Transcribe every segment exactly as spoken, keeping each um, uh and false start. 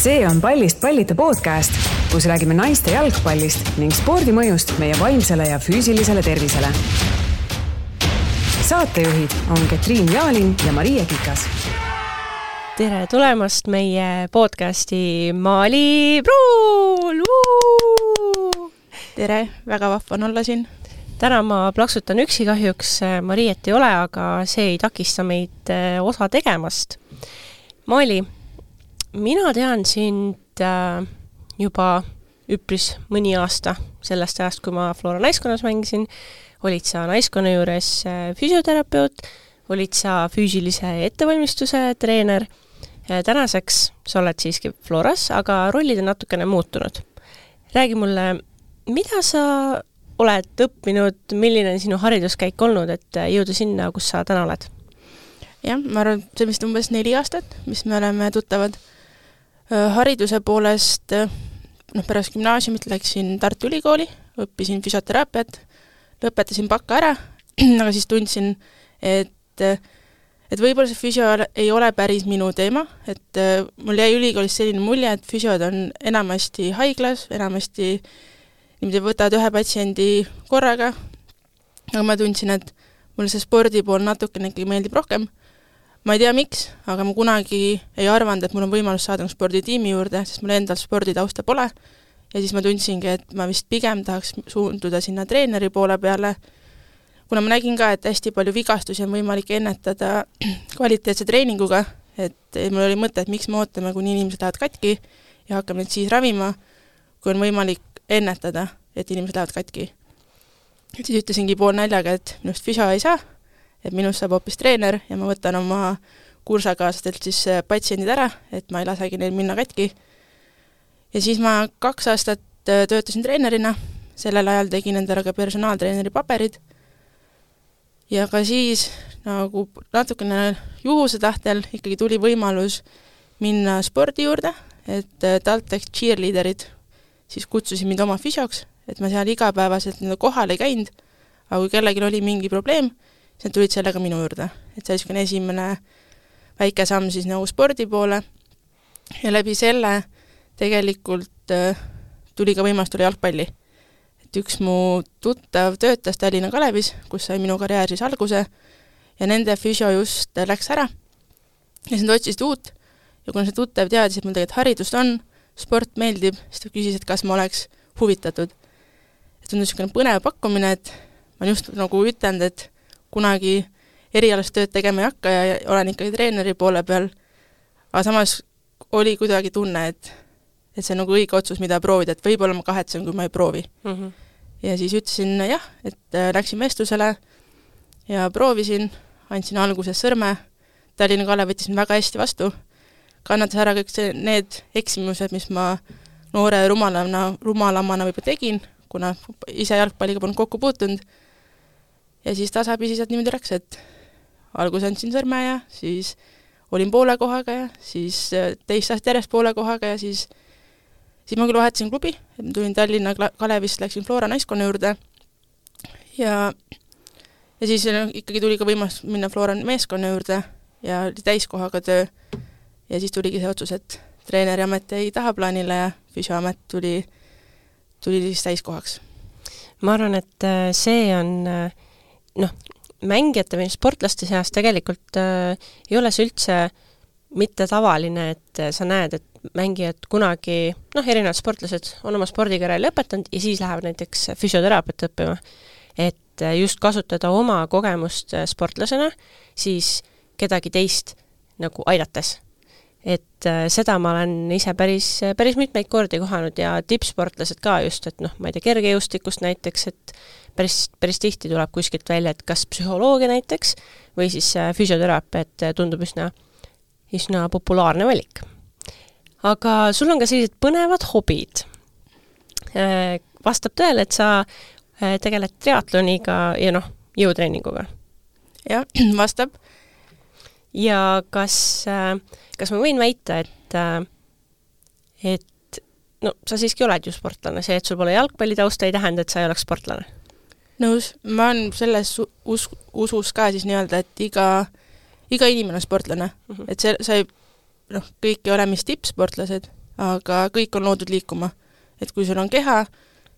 See on Pallist pallita podcast, kus räägime naiste jalgpallist ning spordi mõjust meie vaimsele ja füüsilisele tervisele. Saatejuhid on Ketriin Jaalin ja Maria Kikas. Tere tulemast meie podcasti Maali Pruul! Tere, väga vahva on olla siin. Täna ma plaksutan üksi kahjuks, Mariet ei ole, aga see ei takista meid osa tegemast. Maali, mina tean sind juba üpris mõni aasta sellest ajast, kui ma Flora naiskonnas mängisin. Olid sa naiskonna juures füsioterapeut, olid sa füüsilise ettevalmistuse treener. Tänaseks sa oled siiski Floras, aga rollid on natukene muutunud. Räägi mulle, mida sa oled õppinud, milline on sinu hariduskäik olnud, et jõuda sinna, kus sa täna oled? Jah, ma arvan, see vist umbes neli aastat, mis me oleme tuttavad. Hariduse poolest, noh, pärast gümnaasiumit läksin Tartu Ülikooli, õppisin füsioteraapiat, lõpetasin bakka ära, aga siis tundsin, et, et võib-olla see füsio ei ole päris minu teema, et mul jäi ülikoolis selline mulje, et füsiod on enamasti haiglas, enamasti niimoodi võtavad ühe patsiendi korraga, aga ma tundsin, et mulle see spordi pool natukene ikkagi meeldib rohkem. Ma ei tea miks, aga ma kunagi ei arvanud, et mul on võimalus saada sporditiimi juurde, sest mul endal sporditausta pole. Ja siis ma tundsingi, et ma vist pigem tahaks suunduda sinna treeneri poole peale, kuna ma nägin ka, et hästi palju vigastusi on võimalik ennetada kvaliteetse treeninguga, et mul oli mõte, et miks me ootame, kuni inimesed lähevad katki ja hakkame neid siis ravima, kui on võimalik ennetada, et inimesed lähevad katki. Et siis ütlesingi pool näljaga, et minust füsio ei saa, et minust saab hoopis treener ja ma võtan oma kursakaaslastelt siis patsiendid ära, et ma ei lasegi neil minna katki. Ja siis ma kaks aastat töötasin treenerina, sellel ajal tegin endale ka personaaltreeneri paberid ja ka siis nagu natukene juhuse tahtel ikkagi tuli võimalus minna spordi juurde, et TalTech cheerleaderid siis kutsusid mind oma füsioks, et ma seal igapäevaselt kohal ei käinud, aga kui kellelgi oli mingi probleem, siis nad tulid sellega minu juurde. Et see oli esimene väike samm siis nagu spordi poole ja läbi selle tegelikult äh, tuli ka võimalus tulla jalgpalli. Et üks mu tuttav töötas Tallinna Kalevis, kus sai minu karjäär siis alguse ja nende füsio just läks ära ja siis nad otsisid uut ja kuna see tuttav teadis, et mul tegelikult haridust on, sport meeldib, siis ta küsis, et kas ma oleks huvitatud. Et on niisugune põnev pakkumine, et ma just nagu ütlenud, et kunagi erialast tööd tegema ei hakka ja olen ikkagi treeneri poole peal, aga samas oli kuidagi tunne, et, et see on nagu õige otsus, mida proovida, et võib-olla ma kahetsen, kui ma ei proovi. Mm-hmm. Ja siis ütlesin jah, et läksin vestlusele ja proovisin, andsin alguses sõrme, Tallinna Kalev võttis väga hästi vastu, kannatas ära kõik see, need eksimused, mis ma noore rumalamana, rumalamana võib tegin, kuna ise jalgpalliga polnud kokku puutunud. Ja siis tasapisi sealt niimoodi läks, et algus andsin sõrme ja siis olin poole kohaga ja siis teist aastat järjest poole kohaga ja siis, siis ma küll vahetasin klubi, et ma tulin Tallinna Kalevist, läksin Flora naiskonna juurde ja, ja siis ikkagi tuli ka võimalus minna Flora meeskonna juurde ja oli täiskohaga töö ja siis tuligi see otsus, et treeneri amet ei taha plaanile ja füsioamet tuli, tuli siis täiskohaks. Ma arvan, et see on noh, mängijate või sportlaste seas tegelikult äh, ei ole see üldse mitte tavaline, et sa näed, et mängijad kunagi, noh, erinevad sportlased on oma spordikarjääri lõpetanud ja siis lähevad näiteks füsioteraapiat õppima. Et just kasutada oma kogemust sportlasena, siis kedagi teist nagu aidates. Et äh, seda ma olen ise päris, päris mitmeid kordi kohanud ja tippsportlased ka just, et noh, ma ei tea, kergejõustikust näiteks, et päris, päris tihti tuleb kuskilt välja, et kas psühholoogia näiteks või siis äh, füsioteraapia, et tundub üsna, üsna populaarne valik. Aga sul on ka sellised põnevad hobid. Äh, vastab tõele, et sa äh, tegeled triatloniga ja noh, jõutreeninguga. Jah, vastab. Ja kas, kas ma võin väita, et, et no, sa siiski oled ju sportlane, see, et sul pole jalgpallitausta ei tähenda, et sa ei oleks sportlane? Nõus, ma olen selles us, usus ka siis nii-öelda, et iga, iga inimene on sportlane. Mm-hmm. Et see, sa ei, noh, kõik ei ole mis tippsportlased, aga kõik on loodud liikuma. Et kui sul on keha,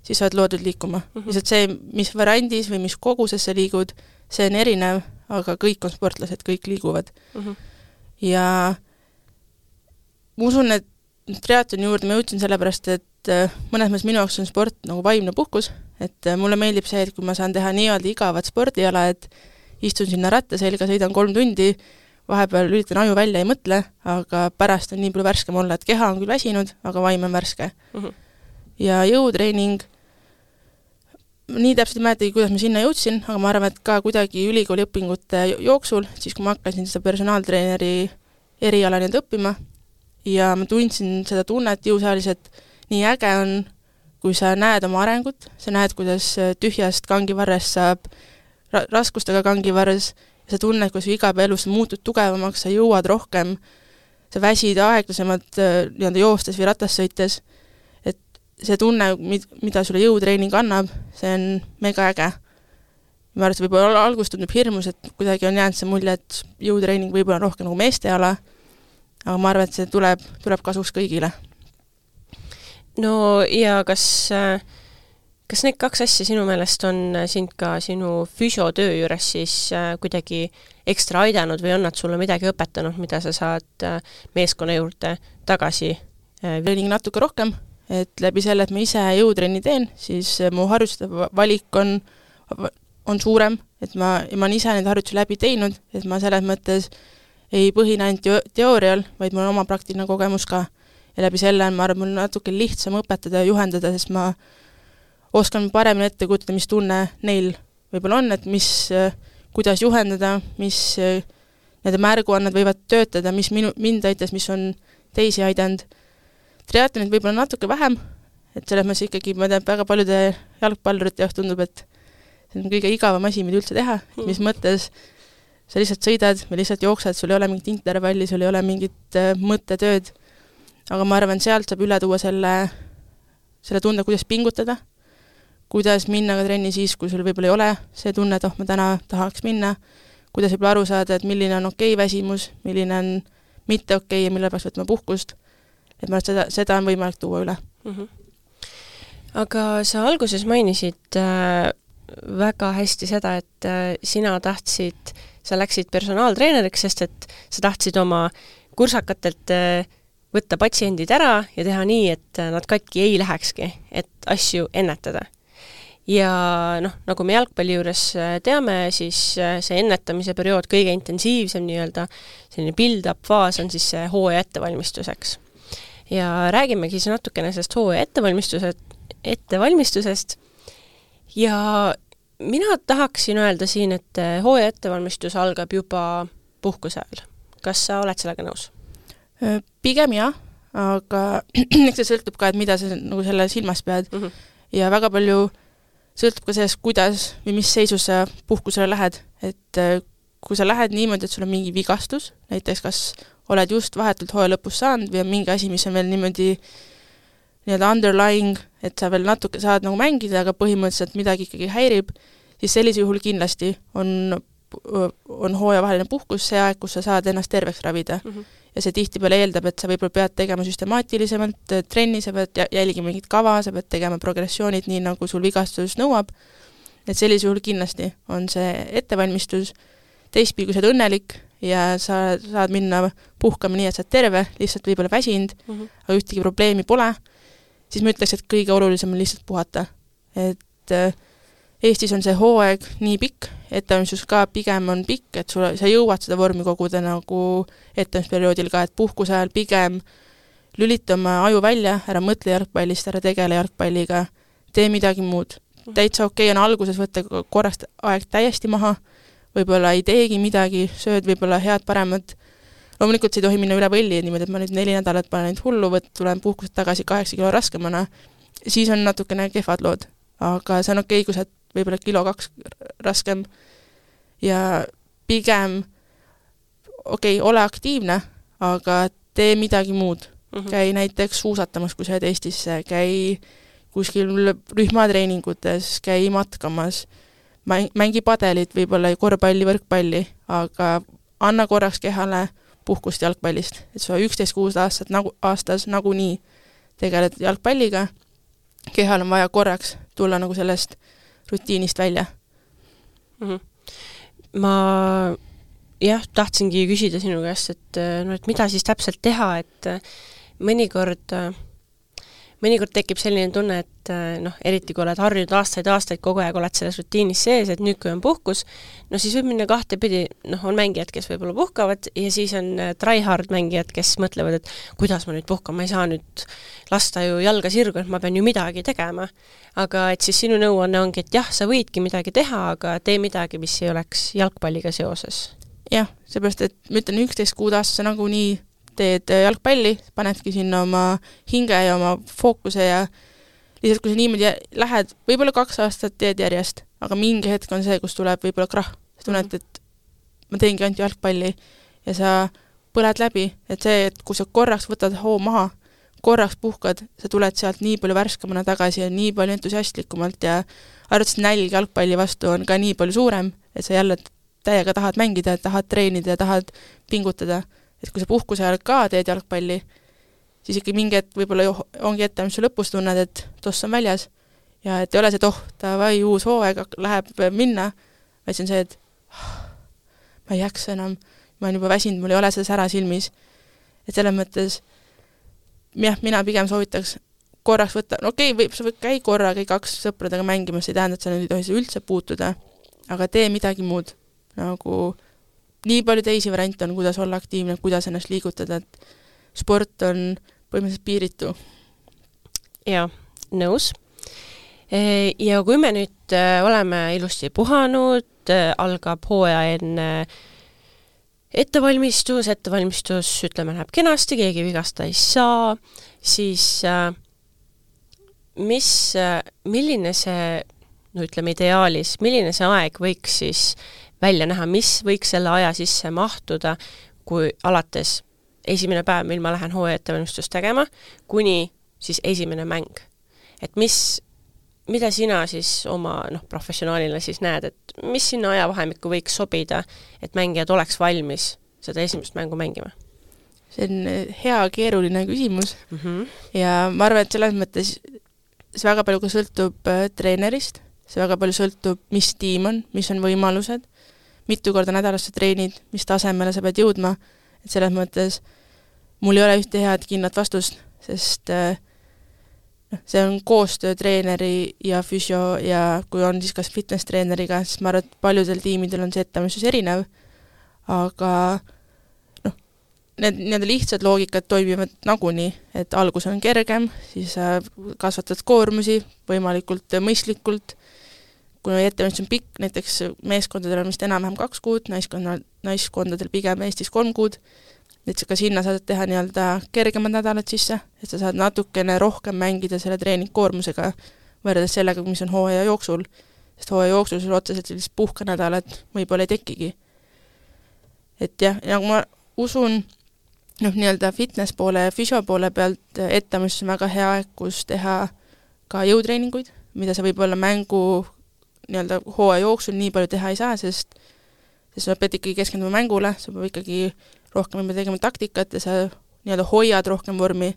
siis sa oled loodud liikuma. Mm-hmm. Lihtsalt see, mis variandis või mis koguses sa liigud, see on erinev, aga kõik on sportlased, kõik liiguvad. Mm-hmm. Ja ma usun, et triatloni juurde ma jõudsin sellepärast, et mõnes mõttes minu jaoks on sport nagu vaimne puhkus, et mulle meeldib see, et kui ma saan teha nii-öelda igavat spordiala, et istun sinna ratta selga, sõidan kolm tundi, vahepeal üritan aju välja, ei mõtle, aga pärast on nii palju värskem olla, et keha on küll väsinud, aga vaim on värske. Mm-hmm. Ja jõutreening, nii täpselt ei mäletagi, kuidas ma sinna jõudsin, aga ma arvan, et ka kuidagi ülikooli õpingute jooksul, siis kui ma hakkasin seda personaaltreeneri eriala nüüd õppima ja ma tundsin seda tunnet jõusaalis, et nii äge on, kui sa näed oma arengut, sa näed, kuidas tühjast kangivarrest saab ra- raskustega kangivarres, ja sa tunned, kuidas iga päev elus sa muutud tugevamaks, sa jõuad rohkem, sa väsid aeglasemalt nii-öelda joostes või ratas sõites, et see tunne, mida sulle jõutreening annab, see on mega äge. Ma arvan, et võib-olla algus tundub hirmus, et kuidagi on jäänud see mulje, et jõutreening võib-olla rohkem nagu meesteala, aga ma arvan, et see tuleb, tuleb kasuks kõigile. No ja kas, kas need kaks asja sinu meelest on sind ka sinu füsiotöö juures siis kuidagi ekstra aidanud või on nad sulle midagi õpetanud, mida sa saad meeskonna juurde tagasi? Treening natuke rohkem, et läbi selle, et ma ise jõutrenni teen, siis mu harjutuste valik on, on suurem, et ma, ma olen ise neid harjutusi läbi teinud, et ma selles mõttes ei põhine ainult teoorial, vaid mul on oma praktiline kogemus ka. Ja läbi selle on, ma arvan, mul natuke lihtsam õpetada ja juhendada, sest ma oskan paremini ette kujutada, mis tunne neil võib-olla on, et mis, kuidas juhendada, mis need märguannad võivad töötada, mis minu, mind aitas, mis on teisi aidanud. Triatlonid võib-olla natuke vähem, et selles mõttes ikkagi, ma tean, väga paljude jalgpallurite jaoks tundub, et see on kõige igavam asi, mida üldse teha, mm. mis mõttes sa lihtsalt sõidad või lihtsalt jooksed, sul ei ole mingit intervalli, sul ei ole mingit äh, mõttetööd, aga ma arvan, sealt saab üle tuua selle, selle tunde, kuidas pingutada, kuidas minna ka trenni siis, kui sul võib-olla ei ole see tunne, et oh, ma täna tahaks minna, kuidas võib-olla aru saada, et milline on okei väsimus, milline on mitte okei ja mille peaks võtma puhkust, et ma arvan, seda, seda on võimalik tuua üle. Mm-hmm. Aga sa alguses mainisid äh, väga hästi seda, et äh, sina tahtsid, sa läksid personaaltreeneriks, sest et sa tahtsid oma kursakatelt äh, võtta patsiendid ära ja teha nii, et nad katki ei lähekski, et asju ennetada. Ja noh, nagu me jalgpalli juures teame, siis see ennetamise periood kõige intensiivsem nii-öelda selline build-up faas on siis see hooaja ettevalmistuseks. Ja räägimegi siis natukene sellest hooaja ettevalmistusest, ettevalmistusest ja mina tahaksin öelda siin, et hooaja ettevalmistus algab juba puhkuse ajal. Kas sa oled sellega nõus? Pigem jah, aga eks see sõltub ka, et mida sa nagu selle silmas pead mm-hmm. ja väga palju sõltub ka sellest, kuidas või mis seisus sa puhkusele lähed, et kui sa lähed niimoodi, et sul on mingi vigastus, näiteks kas oled just vahetult hooaja lõpus saanud või on mingi asi, mis on veel niimoodi nii-öelda underlying, et sa veel natuke saad nagu mängida, aga põhimõtteliselt midagi ikkagi häirib, siis sellise juhul kindlasti on, on hooajavaheline puhkus see aeg, kus sa saad ennast terveks ravida. Mm-hmm. Ja see tihtipeale eeldab, et sa võib-olla pead tegema süstemaatilisemalt trenni, sa pead jälgima mingit kava, sa pead tegema progressioonid nii, nagu sul vigastus nõuab. Et sellise juhul kindlasti on see ettevalmistus, teistpidi, kui sa oled õnnelik ja sa saad minna puhkama nii, et sa oled terve, lihtsalt võib-olla väsinud, mm-hmm. aga ühtegi probleemi pole, siis ma ütleks, et kõige olulisem on lihtsalt puhata. Et Eestis on see hooaeg nii pikk, ettevalmistus ka pigem on pikk, et sul, sa jõuad seda vormi koguda nagu ettevalmistusperioodil ka, et puhkuse ajal pigem lülita oma aju välja, ära mõtle jalgpallist, ära tegele jalgpalliga, tee midagi muud. Täitsa okei on alguses võtta korrast aeg täiesti maha, võib-olla ei teegi midagi, sööd võib-olla head paremat. Loomulikult see ei tohi minna üle võlli, niimoodi, et ma nüüd neli nädalat panen ainult hullu, võt, tulen puhkuselt tagasi kaheksa kilo raskemana, siis on natukene kehvad lood. Aga see on okei, kui sa võib-olla kilo kaks raskem ja pigem okei, ole aktiivne, aga tee midagi muud. Mm-hmm. Käi näiteks suusatamas, kui sa oled Eestisse, käi kuskil rühmatreeningutes, käi matkamas, mängi padelit, võib-olla korvpalli, võrkpalli, aga anna korraks kehale puhkust jalgpallist, et sa üksteist kuus aastat nagu, aastas nagunii tegeled jalgpalliga, kehal on vaja korraks tulla nagu sellest rutiinist välja. Mm-hmm. Ma jah, tahtsingi küsida sinu käest, et, no, et mida siis täpselt teha, et mõnikord, mõnikord tekib selline tunne, et noh, eriti kui oled harjunud aastaid, aastaid kogu aeg oled selles rutiinis sees, et nüüd, kui on puhkus, no siis võib minna kahte pidi, noh, on mängijad, kes võib-olla puhkavad ja siis on tryhard mängijad, kes mõtlevad, et kuidas ma nüüd puhkan, ma ei saa nüüd lasta ju jalga sirgu, et ma pean ju midagi tegema. Aga et siis sinu nõuanne ongi, et jah, sa võidki midagi teha, aga tee midagi, mis ei oleks jalgpalliga seoses. Jah, seepärast, et ma ütlen üksteist kuud aastas nagu nii teed jalgpalli, panedki sinna oma hinge ja oma fookuse ja lihtsalt, kui sa niimoodi lähed, võib-olla kaks aastat teed järjest, aga mingi hetk on see, kus tuleb võib-olla krah. Sa tunned, et ma teengi ainult jalgpalli ja sa põled läbi, et see, et kui sa korraks võtad hoo maha, korraks puhkad, sa tuled sealt nii palju värskamana tagasi ja nii palju entusiastlikumalt ja arvates nälg jalgpalli vastu on ka nii palju suurem, et sa jälle täiega tahad mängida, tahad treenida, tahad pingutada. Et kui sa puhkuse ajal ka teed jalgpalli, siis ikka mingi hetk võib-olla ongi ette, mis sa lõpus tunned, et toss on väljas ja et ei ole see, et oh, ta vai uus hooaeg läheb minna, vaid see on see, et oh, ma ei jaksa enam, ma olen juba väsinud, mul ei ole seda sära silmis. Et selles mõttes, jah, mina pigem soovitaks korraks võtta, no okei, okay, võib, sa võid käi korra, käi kaks sõpradega mängimas, ei tähenda, et sa nüüd ei tohi seda üldse puutuda, aga tee midagi muud, nagu nii palju teisi variante on, kuidas olla aktiivne, kuidas ennast liigutada, et sport on põhimõtteliselt piiritu. Jaa, nõus. Ja kui me nüüd oleme ilusti puhanud, algab hooaja enne ettevalmistus, ettevalmistus, ütleme, läheb kenasti, keegi vigasta ei saa, siis mis, milline see, no ütleme ideaalis, milline see aeg võiks siis välja näha, mis võiks selle aja sisse mahtuda, kui alates esimene päev, mil ma lähen hooaja ettevalmistust tegema, kuni siis esimene mäng. Et mis, mida sina siis oma noh, professionaalina siis näed, et mis sinna ajavahemikku võiks sobida, et mängijad oleks valmis seda esimest mängu mängima? See on hea, keeruline küsimus. Mm-hmm. Ja ma arvan, et selles mõttes see väga palju ka sõltub treenerist, see väga palju sõltub, mis tiim on, mis on võimalused, mitu korda nädalas sa treenid, mis tasemele sa pead jõudma, et selles mõttes mul ei ole ühte head kindlat vastust, sest noh, see on koostöö treeneri ja füsio ja kui on siis kas fitness treeneriga, siis ma arvan, et paljudel tiimidel on see ettevalmistus erinev, aga noh, need nii-öelda lihtsad loogikad toimivad nagunii, et algus on kergem, siis kasvatad koormusi võimalikult mõistlikult, kui ettevalmistus on pikk, näiteks meeskondadel on vist enam-vähem kaks kuud, naiskondadel, naiskondadel pigem Eestis kolm kuud, et ka sinna saad teha nii-öelda kergemad nädalad sisse, et sa saad natukene rohkem mängida selle treeningkoormusega võrreldes sellega, mis on hooaja jooksul, sest hooaja jooksul sul otseselt sellist puhkanädalat võib-olla ei tekigi. Et jah, nagu ma usun, noh, nii-öelda fitness poole ja fysio poole pealt ettevalmistus on väga hea aeg, kus teha ka jõutreeninguid, mida sa võib-olla mängu nii-öelda hooaja jooksul nii palju teha ei saa, sest, sest sa pead ikkagi keskenduma mängule, sa pead ikkagi rohkem tegema taktikat ja sa nii-öelda hoiad rohkem vormi,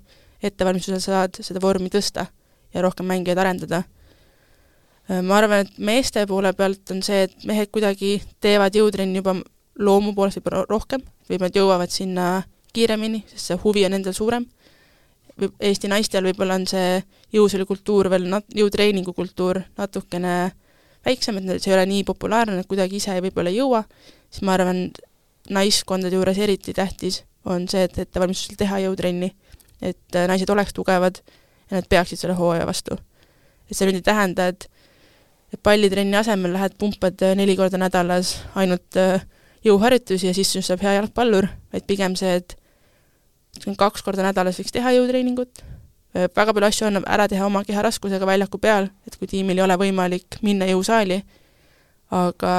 ettevalmistusel saad seda vormi tõsta ja rohkem mängijaid arendada. Ma arvan, et meeste poole pealt on see, et mehed kuidagi teevad jõutrenni juba loomu poolest võib rohkem, või nad jõuavad sinna kiiremini, sest see huvi on endal suurem. Eesti naistel võib-olla on see jõusulikultuur veel, nat- jõutreeningu kultuur natukene väiksem, et see ei ole nii populaarne, et kuidagi ise võib-olla ei jõua, siis ma arvan, naiskondade juures eriti tähtis on see, et ettevalmistusel teha jõutrenni, et naised oleks tugevad ja nad peaksid selle hooaja vastu. Et see nüüd ei tähenda, et, et pallitrenni asemel lähed pumpad neli korda nädalas ainult jõuharjutusi ja siis saab hea jalgpallur, vaid pigem see, et kaks korda nädalas võiks teha jõutreeningut, väga palju asju on ära teha oma keha raskusega väljaku peal, et kui tiimil ei ole võimalik minna jõusaali, aga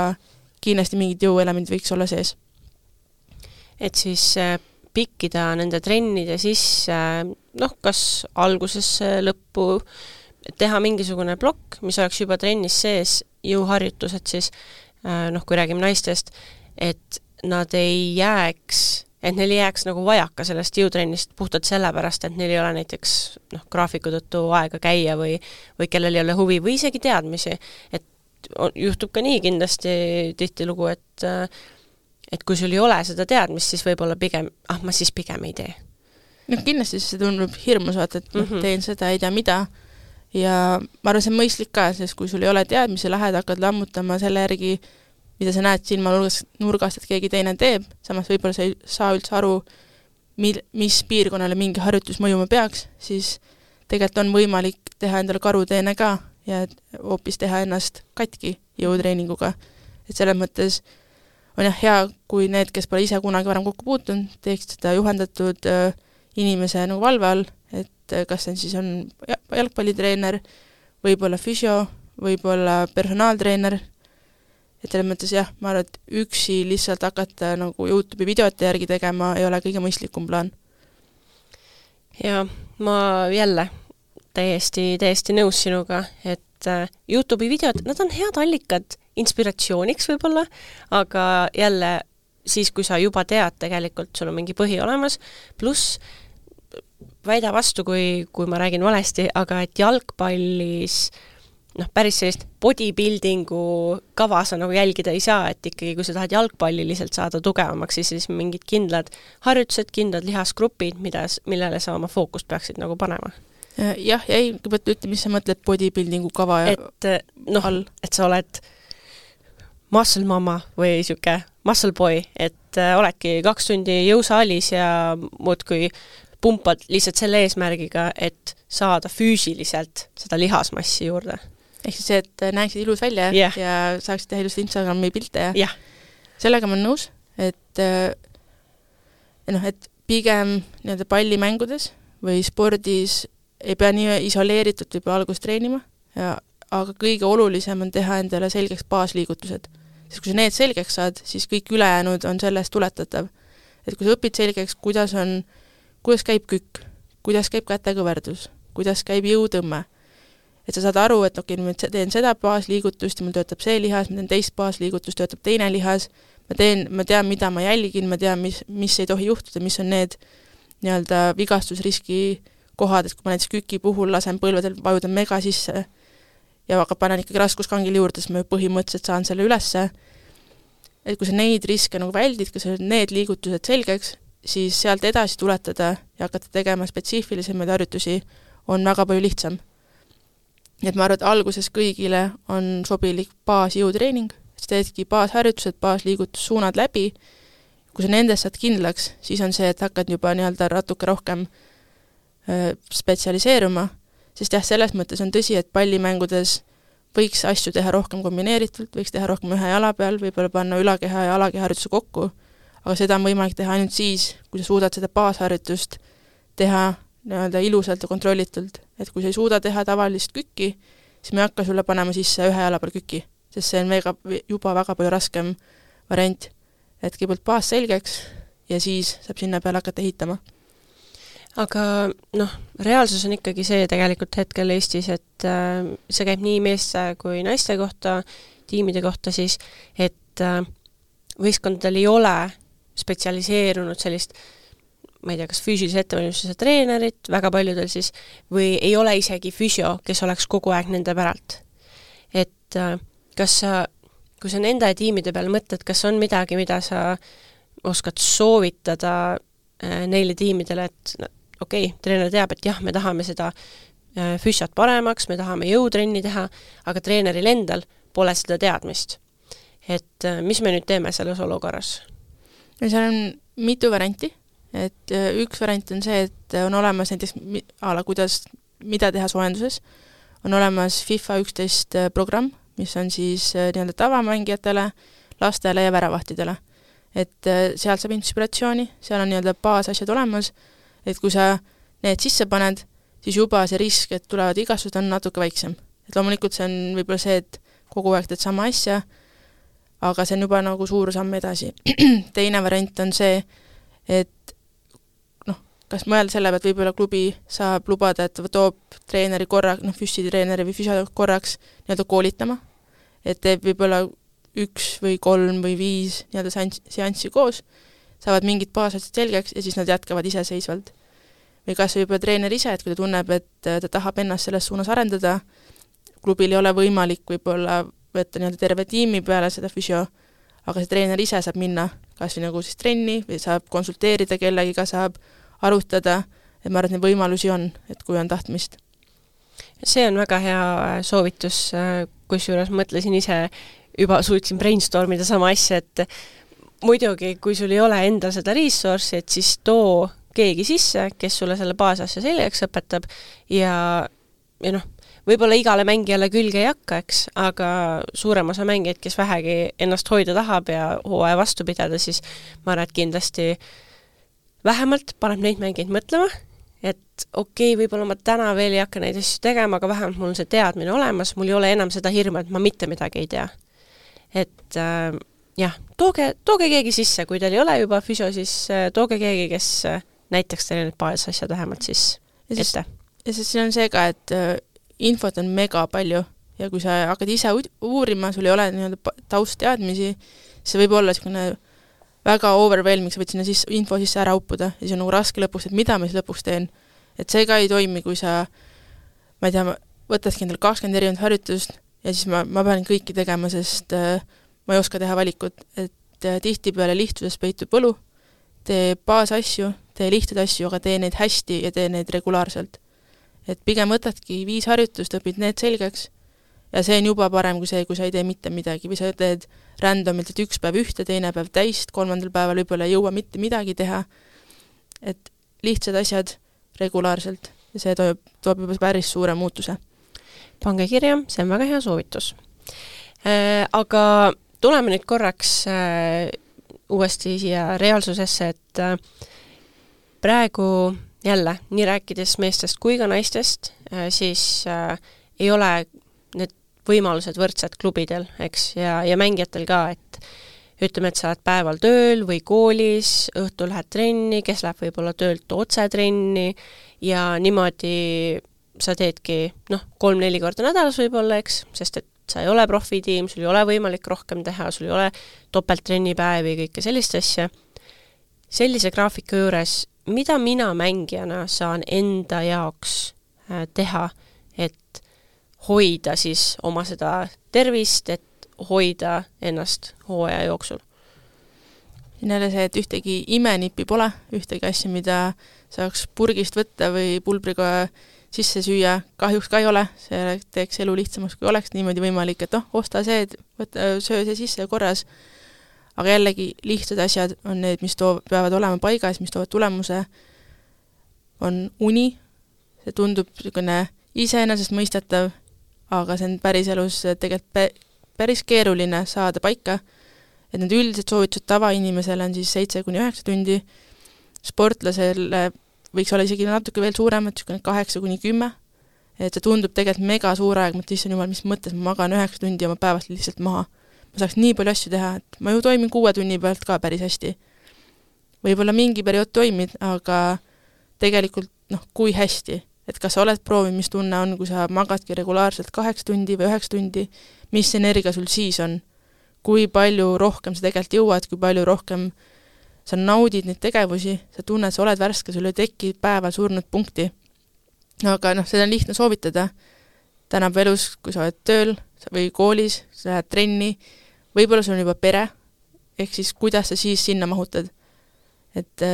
kindlasti mingid jõuelemendid võiks olla sees. Et siis pikkida nende trennide sisse, noh, kas alguses lõppu teha mingisugune plokk, mis oleks juba trennis sees, jõuharjutused siis, noh, kui räägime naistest, et nad ei jääks et neil ei jääks nagu vajaka sellest jõutrennist puhtalt sellepärast, et neil ei ole näiteks noh, graafiku tõttu aega käia või, või kellel ei ole huvi või isegi teadmisi, et juhtub ka nii kindlasti tihtilugu, et et kui sul ei ole seda teadmist, siis võib-olla pigem, ah, ma siis pigem ei tee. No kindlasti see tundub hirmus, vaata, et mm -hmm. teen seda, ei tea mida, ja ma arvan, see on mõistlik ka, sest kui sul ei ole teadmisi, lähed, hakkad lammutama selle järgi, mida sa näed silma nurgast, et keegi teine teeb, samas võib-olla sa ei saa üldse aru, mil, mis piirkonnale mingi harjutus mõjuma peaks, siis tegelikult on võimalik teha endale karuteene ka ja hoopis teha ennast katki jõutreeninguga. Et selles mõttes on jah hea, kui need, kes pole ise kunagi varem kokku puutunud, teeksid seda juhendatud äh, inimese nagu valve all, et äh, kas see siis on jalgpallitreener, võib-olla füsio, võib-olla personaaltreener, et selles mõttes jah, ma arvan, et üksi lihtsalt hakata nagu YouTube'i videote järgi tegema ei ole kõige mõistlikum plaan. Ja ma jälle täiesti, täiesti nõus sinuga, et YouTube'i videod, nad on head allikad inspiratsiooniks võib-olla, aga jälle siis, kui sa juba tead tegelikult, sul on mingi põhi olemas, pluss väida vastu, kui, kui ma räägin valesti, aga et jalgpallis noh, päris sellist bodybuildingu kava sa nagu jälgida ei saa, et ikkagi kui sa tahad jalgpalliliselt saada tugevamaks, siis, siis mingid kindlad harjutused, kindlad lihasgrupid, mida, millele sa oma fookust peaksid nagu panema. Jah, ja ei, kõigepealt ütle, mis sa mõtled bodybuildingu kava ja et, no, all? Et sa oled muscle mama või siuke muscle boy, et äh, oledki kaks tundi jõusaalis ja muudkui pumpad lihtsalt selle eesmärgiga, et saada füüsiliselt seda lihasmassi juurde. Ehk siis see, et näeksid ilus välja yeah. ja saaksid teha ilusti Instagrami pilte ja yeah. sellega ma olen nõus, et, noh, et pigem nii-öelda pallimängudes või spordis ei pea nii isoleeritud võib algust treenima, ja, aga kõige olulisem on teha endale selgeks baasliigutused. Sest kui sa need selgeks saad, siis kõik ülejäänud on sellest tuletatav. Et kui sa õpid selgeks, kuidas on, kuidas käib kükk, kuidas käib kätekõverdus, kuidas käib jõutõmme, et sa saad aru, et okei, ma teen seda baasliigutust ja mul töötab see lihas, ma teen teist baasliigutust, töötab teine lihas, ma, teen, ma tean, mida ma jälgin, ma tean, mis, mis ei tohi juhtuda, mis on need nii-öelda vigastusriski kohad, et kui ma näiteks küki puhul lasen põlvedel vajuda mega sisse ja aga panen ikkagi raskuskangil juurde, siis ma põhimõtteliselt saan selle ülesse. Et kui sa neid riske nagu väldid, kui sa need liigutused selgeks, siis sealt edasi tuletada ja hakata tegema spetsiifilisemaid harjutusi on väga palju lihtsam. Et ma arvan, et alguses kõigile on sobilik baasjõutreening, et teedki baasharjutused, baasliigutussuunad läbi. Kui sa nendest saad kindlaks, siis on see, et hakkad juba nii-öelda natuke rohkem spetsialiseeruma, sest jah, selles mõttes on tõsi, et pallimängudes võiks asju teha rohkem kombineeritult, võiks teha rohkem ühe jala peal, võib-olla panna ülakeha ja alakeharjutuse kokku, aga seda on võimalik teha ainult siis, kui sa suudad seda baasharjutust teha nii-öelda ilusalt ja kontrollitult, et kui sa ei suuda teha tavalist kükki, siis me ei hakka sulle panema sisse ühe jala peal küki, sest see on väga, juba väga palju raskem variant, et kõigepealt baas selgeks ja siis saab sinna peale hakata ehitama. Aga noh, reaalsus on ikkagi see tegelikult hetkel Eestis, et äh, see käib nii meeste kui naiste kohta, tiimide kohta siis, et äh, võistkondadel ei ole spetsialiseerunud sellist, ma ei tea, kas füüsilise ettevalmistuse treenerit, väga paljudel siis, või ei ole isegi füsio, kes oleks kogu aeg nende päralt. Et äh, kas sa, kui sa nende tiimide peal mõtled, kas on midagi, mida sa oskad soovitada äh, neile tiimidele, et okei, okay, treener teab, et jah, me tahame seda füsiot paremaks, me tahame jõutrenni teha, aga treeneril endal pole seda teadmist. Et mis me nüüd teeme selles olukorras? Ja seal on mitu varianti, et üks variant on see, et on olemas näiteks ala, kuidas, mida teha soojenduses, on olemas FIFA üksteist programm, mis on siis nii-öelda tavamängijatele, lastele ja väravahtidele. Et seal saab inspiratsiooni, seal on nii-öelda baasasjad olemas, et kui sa need sisse paned, siis juba see risk, et tulevad igastused, on natuke väiksem. Et loomulikult see on võib-olla see, et kogu aeg teed sama asja, aga see on juba nagu suur samm edasi. Teine variant on see, et noh, kas mõelda selle pealt, võib-olla klubi saab lubada, et toob treeneri korra, noh, füsitreeneri või füsio korraks nii-öelda koolitama, et teeb võib-olla üks või kolm või viis nii-öelda seanssi koos, saavad mingid baasasjad selgeks ja siis nad jätkavad iseseisvalt. Või kas võib-olla treener ise, et kui ta tunneb, et ta tahab ennast selles suunas arendada, klubil ei ole võimalik võib-olla võtta nii-öelda terve tiimi peale seda füsio, aga see treener ise saab minna kas või nagu siis trenni või saab konsulteerida kellegiga, saab arutada, et ma arvan, et neid võimalusi on, et kui on tahtmist. See on väga hea soovitus, kusjuures mõtlesin ise, juba suutsin brainstormida sama asja, et muidugi, kui sul ei ole endal seda resource'i, et siis too keegi sisse, kes sulle selle baasasja selgeks õpetab ja, ja noh, võib-olla igale mängijale külge ei hakka, eks, aga suurem osa mängijaid, kes vähegi ennast hoida tahab ja hooaja vastu pidada, siis ma arvan, et kindlasti vähemalt paneb neid mängijaid mõtlema, et okei, okay, võib-olla ma täna veel ei hakka neid asju tegema, aga vähemalt mul on see teadmine olemas, mul ei ole enam seda hirmu, et ma mitte midagi ei tea. Et äh, jah, tooge, tooge keegi sisse, kui teil ei ole juba füsio, siis äh, tooge keegi, kes äh, näiteks teile need baasasjad vähemalt siis ja siis, ette. Ja siis siin on see ka, et äh, infot on mega palju ja kui sa hakkad ise uurima, sul ei ole nii-öelda taustteadmisi, see võib olla niisugune väga overwhelming, sa võid sinna siis, info sisse ära uppuda ja see on nagu raske lõpuks, et mida ma siis lõpuks teen. Et see ka ei toimi, kui sa, ma ei tea, võtadki endale kakskümmend erinevat harjutust ja siis ma, ma pean kõiki tegema, sest äh, ma ei oska teha valikut, et äh, tihtipeale lihtsuses peitub võlu, tee baasasju, tee lihtsaid asju, aga tee neid hästi ja tee neid regulaarselt. Et pigem võtadki viis harjutust, õpid need selgeks ja see on juba parem kui see, kui sa ei tee mitte midagi või sa teed randomilt, et üks päev ühte, teine päev täist, kolmandal päeval võib-olla ei jõua mitte midagi teha. Et lihtsad asjad regulaarselt ja see toob, toob juba päris suure muutuse. Pange kirja, see on väga hea soovitus. Äh, aga tuleme nüüd korraks äh, uuesti siia reaalsusesse, et äh, praegu jälle, nii rääkides meestest kui ka naistest, äh, siis äh, ei ole need võimalused võrdsed klubidel, eks, ja, ja mängijatel ka, et ütleme, et sa oled päeval tööl või koolis, õhtul lähed trenni, kes läheb võib-olla töölt otse trenni ja niimoodi sa teedki noh, kolm-neli korda nädalas võib-olla, eks, sest et sa ei ole profitiim, sul ei ole võimalik rohkem teha, sul ei ole topelttrennipäevi ja kõike sellist asja. Sellise graafika juures, mida mina mängijana saan enda jaoks teha, et hoida siis oma seda tervist, et hoida ennast hooaja jooksul? Siin jälle see, et ühtegi imenippi pole, ühtegi asja, mida saaks purgist võtta või pulbriga sisse süüa, kahjuks ka ei ole, see teeks elu lihtsamaks, kui oleks niimoodi võimalik, et noh, osta see, võtta, söö see sisse korras, aga jällegi lihtsad asjad on need, mis toob, peavad olema paigas, mis toovad tulemuse, on uni, see tundub niisugune iseenesest mõistetav, aga see on päris elus tegelikult päris keeruline saada paika, et need üldised soovitused tavainimesele on siis seitse kuni üheksa tundi, sportlasel võiks olla isegi natuke veel suuremad, kaheksa kuni kümme, et see tundub tegelikult mega suur aeg, mõt issand jumal, mis mõttes ma magan üheksa tundi ja ma päevast lihtsalt maha. Ma saaks nii palju asju teha, et ma ju toimin kuue tunni pealt ka päris hästi. Võib-olla mingi periood toimid, aga tegelikult noh, kui hästi, et kas sa oled proovinud, mis tunne on, kui sa magadki regulaarselt kaheksa tundi või üheksa tundi, mis energia sul siis on, kui palju rohkem sa tegelikult jõuad, kui palju rohkem sa naudid neid tegevusi, sa tunned, sa oled värske, sul ei teki päeval surnud punkti. Aga noh, seda on lihtne soovitada. Tänab elus, kui sa oled tööl või koolis, sa lähed trenni, võib-olla sul on juba pere, ehk siis kuidas sa siis sinna mahutad. Et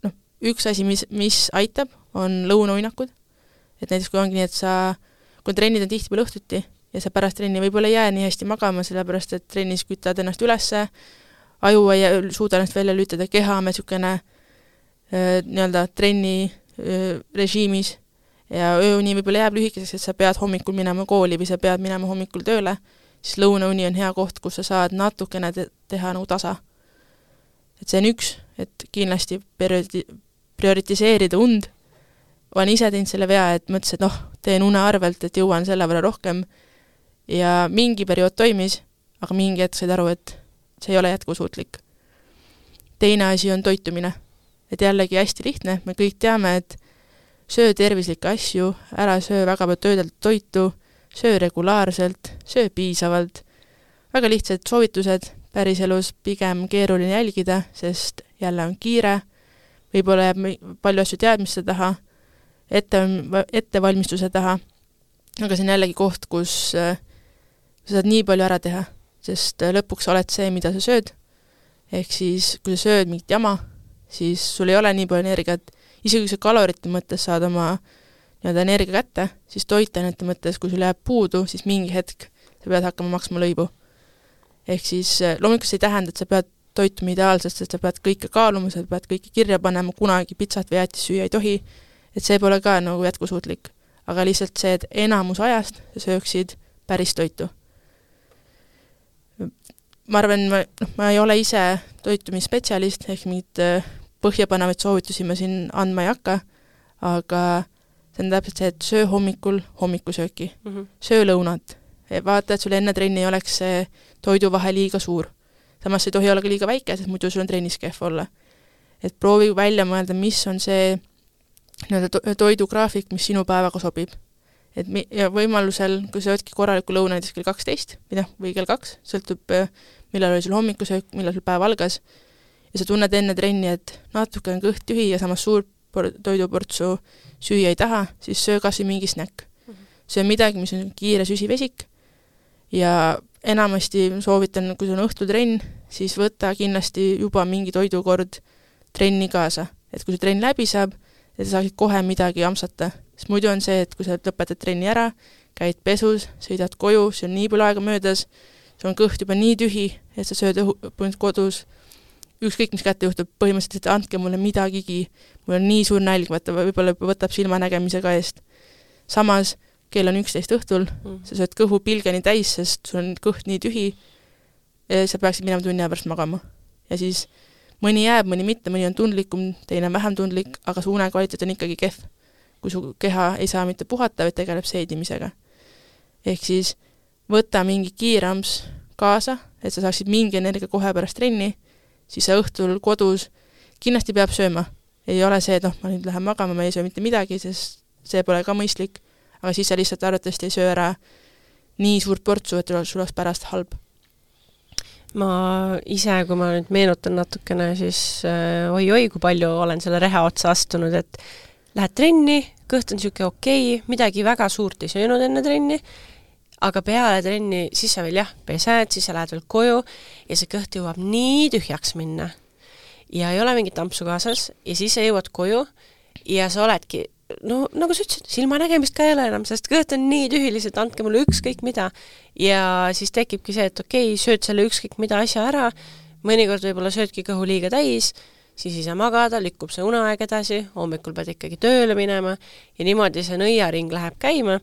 noh, üks asi, mis, mis aitab, on lõunauinakud. Et näiteks kui ongi nii, et sa, kui trennid on tihtipeale õhtuti ja sa pärast trenni võib-olla ei jää nii hästi magama, sellepärast et trennis kütad ennast ülesse, aju ei suuda ennast välja lülitada, keha on niisugune nii-öelda trenni öö, režiimis ja ööuni võib-olla jääb lühikeseks, et sa pead hommikul minema kooli või sa pead minema hommikul tööle, siis lõunauni on hea koht, kus sa saad natukene te- teha nagu tasa. Et see on üks, et kindlasti periodi- prioritiseerida und. Olen ise teinud selle vea, et mõtlesin, et noh, teen une arvelt, et jõuan selle võrra rohkem ja mingi periood toimis, aga mingi hetk said aru, et see ei ole jätkusuutlik. Teine asi on toitumine. Et jällegi hästi lihtne, me kõik teame, et söö tervislikke asju, ära söö väga palju töödeldatud toitu, söö regulaarselt, söö piisavalt. Väga lihtsad soovitused, päriselus pigem keeruline jälgida, sest jälle on kiire, võib-olla jääb palju asju teadmiste taha, ette, ettevalmistuse taha, aga see on jällegi koht, kus sa saad nii palju ära teha, sest lõpuks oled see, mida sa sööd, ehk siis kui sa sööd mingit jama, siis sul ei ole nii palju energiat, isegi kui sa kalorite mõttes saad oma nii-öelda energia kätte, siis toitainete mõttes, kui sul jääb puudu, siis mingi hetk sa pead hakkama maksma lõibu. Ehk siis loomulikult see ei tähenda, et sa pead toituma ideaalselt, sest sa pead kõike kaaluma, sa pead kõike kirja panema, kunagi pitsat või jäätis süüa ei tohi, et see pole ka nagu jätkusuutlik. Aga lihtsalt see, et enamus ajast sa sööksid päris toitu. Ma arvan, ma, noh, ma ei ole ise toitumisspetsialist, ehk mingid põhjapanevaid soovitusi ma siin andma ei hakka, aga see on täpselt see, et söö hommikul hommikusööki, mm -hmm. söö lõunat, vaata, et sul enne trenni ei oleks see toiduvahe liiga suur. Samas ei tohi olla ka liiga väike, sest muidu sul on trennis kehv olla. Et proovi välja mõelda, mis on see nii-öelda toidugraafik, mis sinu päevaga sobib. Et mi- ja võimalusel, kui sa võtki korraliku lõuna näiteks kell kaksteist või, või kell kaks, sõltub, millal oli sul hommikusöök, millal sul päev algas, ja sa tunned enne trenni, et natuke on kõht tühi ja samas suur toiduportsu süüa ei taha, siis söö kas või mingi snäkk. See on midagi, mis on kiire süsivesik ja enamasti soovitan, kui sul on õhtutrenn, siis võta kindlasti juba mingi toidukord trenni kaasa. Et kui see trenn läbi saab, et sa saaksid kohe midagi amsata. Sest muidu on see, et kui sa lõpetad trenni ära, käid pesus, sõidad koju, see on nii palju aega möödas, sul on kõht juba nii tühi, et sa sööd õhu, kodus, ükskõik mis kätte juhtub, põhimõtteliselt, et andke mulle midagigi, mul on nii suur nälg, võtta, võib-olla võtab silmanägemisega eest. Samas, kell on üksteist õhtul, mm. sa sööd kõhu pilgeni täis, sest sul on kõht nii tühi, ja sa peaksid minema tunni pärast magama. Ja siis mõni jääb, mõni mitte, mõni on tundlikum, teine on vähem tundlik, aga su unekvaliteet on ikkagi kehv, kui su keha ei saa mitte puhata, vaid tegeleb seedimisega. Ehk siis võta mingi kiirams kaasa, et sa saaksid mingi energia kohe pärast trenni, siis sa õhtul kodus kindlasti peab sööma. Ei ole see, et noh, ma nüüd lähen magama, ma ei söö mitte midagi, sest see pole ka mõistlik, aga siis sa lihtsalt arvatavasti ei söö ära nii suurt portsu, et sul oleks pärast halb. Ma ise, kui ma nüüd meenutan natukene, siis äh, oi-oi, kui palju olen selle reha otsa astunud, et lähed trenni, kõht on siuke okei, midagi väga suurt ei söönud enne trenni, aga peale trenni, siis sa veel jah, pesed, siis sa lähed veel koju ja see kõht jõuab nii tühjaks minna. Ja ei ole mingit tampsu kaasas ja siis sa jõuad koju ja sa oledki, no nagu sa ütlesid, silmanägemist ka ei ole enam, sest kõht on nii tühiliselt, andke mulle ükskõik mida. Ja siis tekibki see, et okei, sööd selle ükskõik mida asja ära, mõnikord võib-olla söödki kõhu liiga täis, siis ei saa magada, lükkub see uneaeg edasi, hommikul pead ikkagi tööle minema ja niimoodi see nõiaring läheb käima,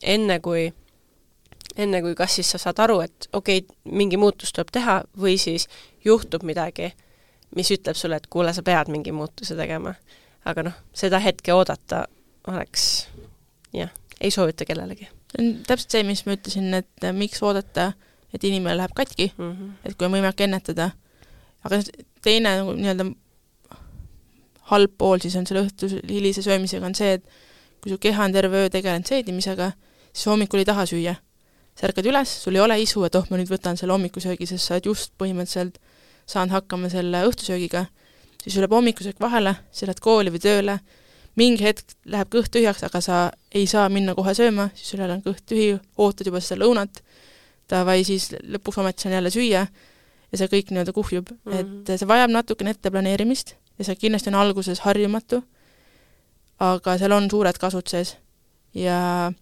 enne kui enne kui kas siis sa saad aru, et okei, mingi muutus tuleb teha või siis juhtub midagi, mis ütleb sulle, et kuule, sa pead mingi muutuse tegema. Aga noh, seda hetke oodata oleks, jah, ei soovita kellelegi. See on täpselt see, mis ma ütlesin, et miks oodata, et inimene läheb katki, mm -hmm. et kui on võimalik ennetada. Aga teine nii-öelda halb pool siis on selle õhtus hilise söömisega on see, et kui su keha on terve öö tegelenud seedimisega, siis hommikul ei taha süüa. Sa ärkad üles, sul ei ole isu, et oh, ma nüüd võtan selle hommikusöögi, sest sa oled just põhimõtteliselt saanud hakkama selle õhtusöögiga, siis sul läheb hommikusöök vahele, sa lähed kooli või tööle, mingi hetk läheb kõht tühjaks, aga sa ei saa minna kohe sööma, siis sul on kõht tühi, ootad juba seda lõunat, vai siis lõpuks ometi on jälle süüa ja see kõik nii-öelda kuhjub. Mm -hmm. Et see vajab natukene etteplaneerimist ja see kindlasti on alguses harjumatu, aga seal on suured kasud sees. Ja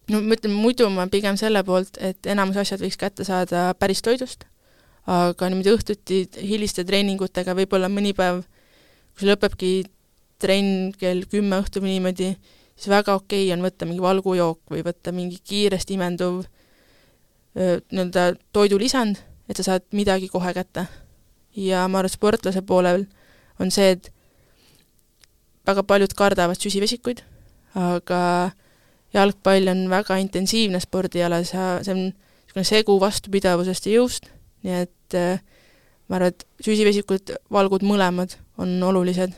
no ma ütlen, muidu ma pigem selle poolt, et enamus asjad võiks kätte saada päris toidust, aga niimoodi õhtuti hiliste treeningutega võib-olla mõni päev, kui see lõpebki trenn kell kümme õhtul või niimoodi, siis väga okei on võtta mingi valgujook või võtta mingi kiiresti imenduv nii-öelda toidulisand, et sa saad midagi kohe kätte. Ja ma arvan, sportlase poolel on see, et väga paljud kardavad süsivesikuid, aga jalgpall on väga intensiivne spordiala, see on segu vastupidavusest ja jõust, nii et ma arvan, et süsivesikud, valgud mõlemad on olulised,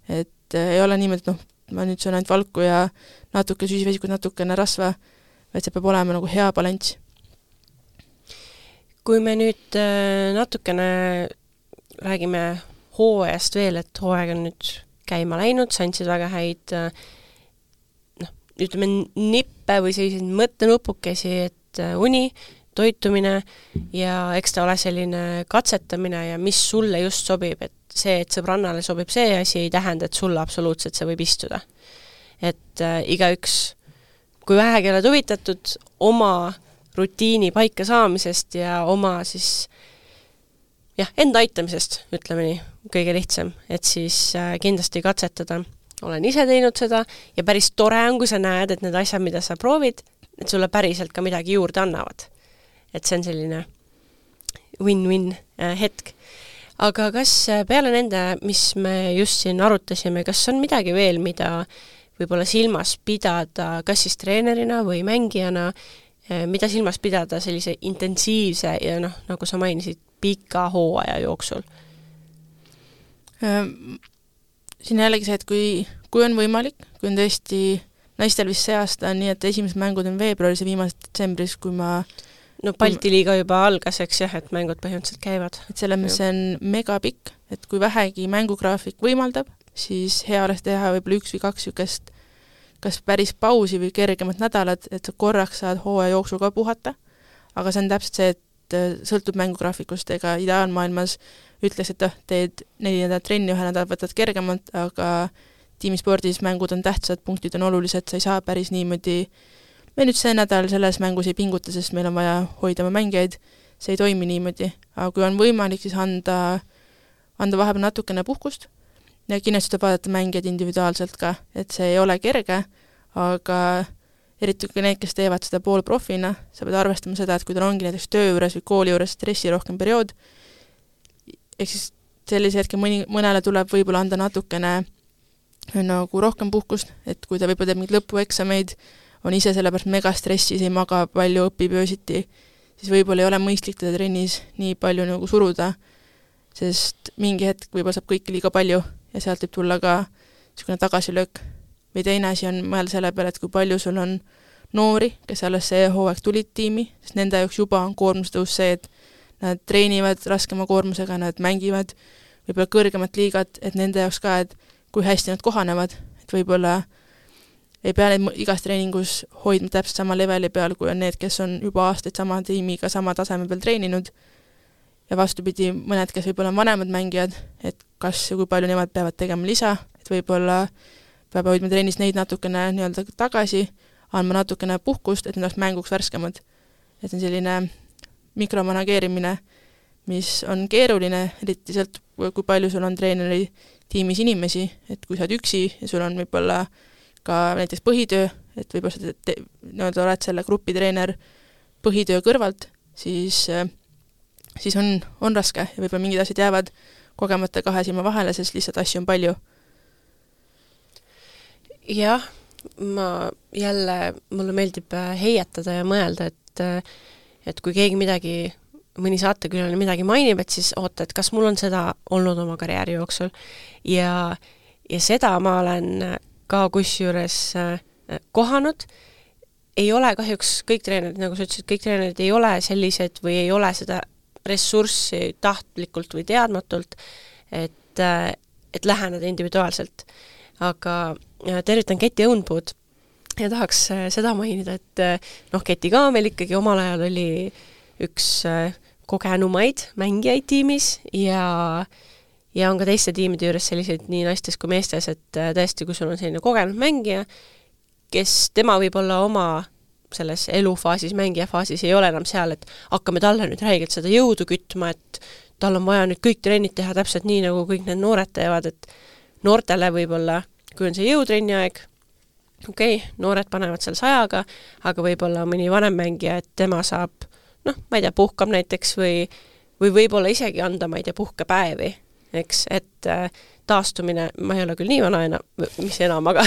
et ei ole niimoodi, et noh, ma nüüd söön ainult valku ja natuke süsivesikud, natukene rasva, vaid see peab olema nagu hea balanss. kui me nüüd natukene räägime hooajast veel, et hooaeg on nüüd käima läinud, sa andsid väga häid noh, ütleme nippe või selliseid mõttenupukesi, et uni, toitumine ja eks ta ole selline katsetamine ja mis sulle just sobib, et see, et sõbrannale sobib see asi, ei tähenda, et sulle absoluutselt see võib istuda. Et äh, igaüks, kui vähegi oled huvitatud oma rutiini paika saamisest ja oma siis jah, enda aitamisest, ütleme nii, kõige lihtsam, et siis äh, kindlasti katsetada. Olen ise teinud seda ja päris tore on, kui sa näed, et need asjad, mida sa proovid, et sulle päriselt ka midagi juurde annavad. Et see on selline win-win äh, hetk. Aga kas peale nende, mis me just siin arutasime, kas on midagi veel, mida võib-olla silmas pidada, kas siis treenerina või mängijana, mida silmas pidada sellise intensiivse ja noh, nagu sa mainisid, pika hooaja jooksul? Siin jällegi see, et kui, kui on võimalik, kui on tõesti naistel vist see aasta on nii, et esimesed mängud on veebruaris ja viimased detsembris, kui ma no Balti liiga juba algas, eks jah, et mängud põhimõtteliselt käivad. Et selles mõttes see on megapikk, et kui vähegi mängugraafik võimaldab, siis hea oleks teha võib-olla üks või kaks sükest kas päris pausi või kergemat nädalat, et sa korraks saad hooaja jooksul ka puhata, aga see on täpselt see, et sõltub mängugraafikust, ega ideaalmaailmas ütleks, et teed neli nädalat trenni, ühe nädal võtad kergemalt, aga tiimispordis mängud on tähtsad, punktid on olulised, sa ei saa päris niimoodi, me nüüd see nädal selles mängus ei pinguta, sest meil on vaja hoida oma mängijaid, see ei toimi niimoodi, aga kui on võimalik, siis anda, anda vahepeal natukene puhkust, ja kindlasti tuleb vaadata mängijad individuaalselt ka, et see ei ole kerge, aga eriti kui need, kes teevad seda poolprofina, sa pead arvestama seda, et kui tal ongi näiteks töö juures või kooli juures stressi rohkem periood, ehk siis sellise hetke mõni, mõnele tuleb võib-olla anda natukene nagu rohkem puhkust, et kui ta võib-olla teeb mingid lõpueksameid, on ise sellepärast megastressis, ei maga palju, õpib öösiti, siis võib-olla ei ole mõistlik teda trennis nii palju nagu suruda, sest mingi hetk võib-olla saab kõike liiga palju ja sealt võib tulla ka niisugune tagasilöök. Või teine asi on mõelda selle peale, et kui palju sul on noori, kes alles see hooaeg tulid tiimi, sest nende jaoks juba on koormustõus see, et nad treenivad raskema koormusega, nad mängivad võib-olla kõrgemat liigat, et nende jaoks ka, et kui hästi nad kohanevad, et võib-olla ei pea neid igas treeningus hoidma täpselt sama leveli peal, kui on need, kes on juba aastaid sama tiimiga sama taseme peal treeninud, ja vastupidi, mõned, kes võib-olla on vanemad mängijad, et kas ja kui palju nemad peavad tegema lisa, et võib-olla peab hoidma trennis neid natukene nii-öelda tagasi, andma natukene puhkust, et need oleks mänguks värskemad. Et on selline mikromanageerimine, mis on keeruline, eriti sealt, kui palju sul on treeneri tiimis inimesi, et kui sa oled üksi ja sul on võib-olla ka näiteks põhitöö, et võib-olla sa te, nii-öelda oled selle grupitreener põhitöö kõrvalt, siis siis on, on raske ja võib-olla mingid asjad jäävad kogemata kahe silma vahele, sest lihtsalt asju on palju. Jah, ma jälle, mulle meeldib heietada ja mõelda, et, et kui keegi midagi, mõni saatekülaline midagi mainib, et siis oota, et kas mul on seda olnud oma karjääri jooksul. Ja, ja seda ma olen ka kusjuures kohanud. Ei ole kahjuks kõik treenerid, nagu sa ütlesid, kõik treenerid ei ole sellised või ei ole seda ressurssi tahtlikult või teadmatult, et, et läheneda individuaalselt. Aga tervitan Keti Õunpuud ja tahaks seda mainida, et noh, Keti ka meil ikkagi omal ajal oli üks kogenumaid mängijaid tiimis ja, ja on ka teiste tiimide juures selliseid nii naistes kui meestes, et tõesti, kui sul on selline kogenud mängija, kes tema võib olla oma selles elufaasis, mängijafaasis ei ole enam seal, et hakkame talle nüüd räigelt seda jõudu kütma, et tal on vaja nüüd kõik trennid teha täpselt nii, nagu kõik need noored teevad, et noortele võib-olla, kui on see jõutrenni aeg, okei, okay, noored panevad seal sajaga, aga võib-olla mõni vanem mängija, et tema saab, noh, ma ei tea, puhkab näiteks või, või võib-olla isegi anda, ma ei tea, puhkepäevi, eks, et äh, taastumine, ma ei ole küll nii vana enam, mis enam, aga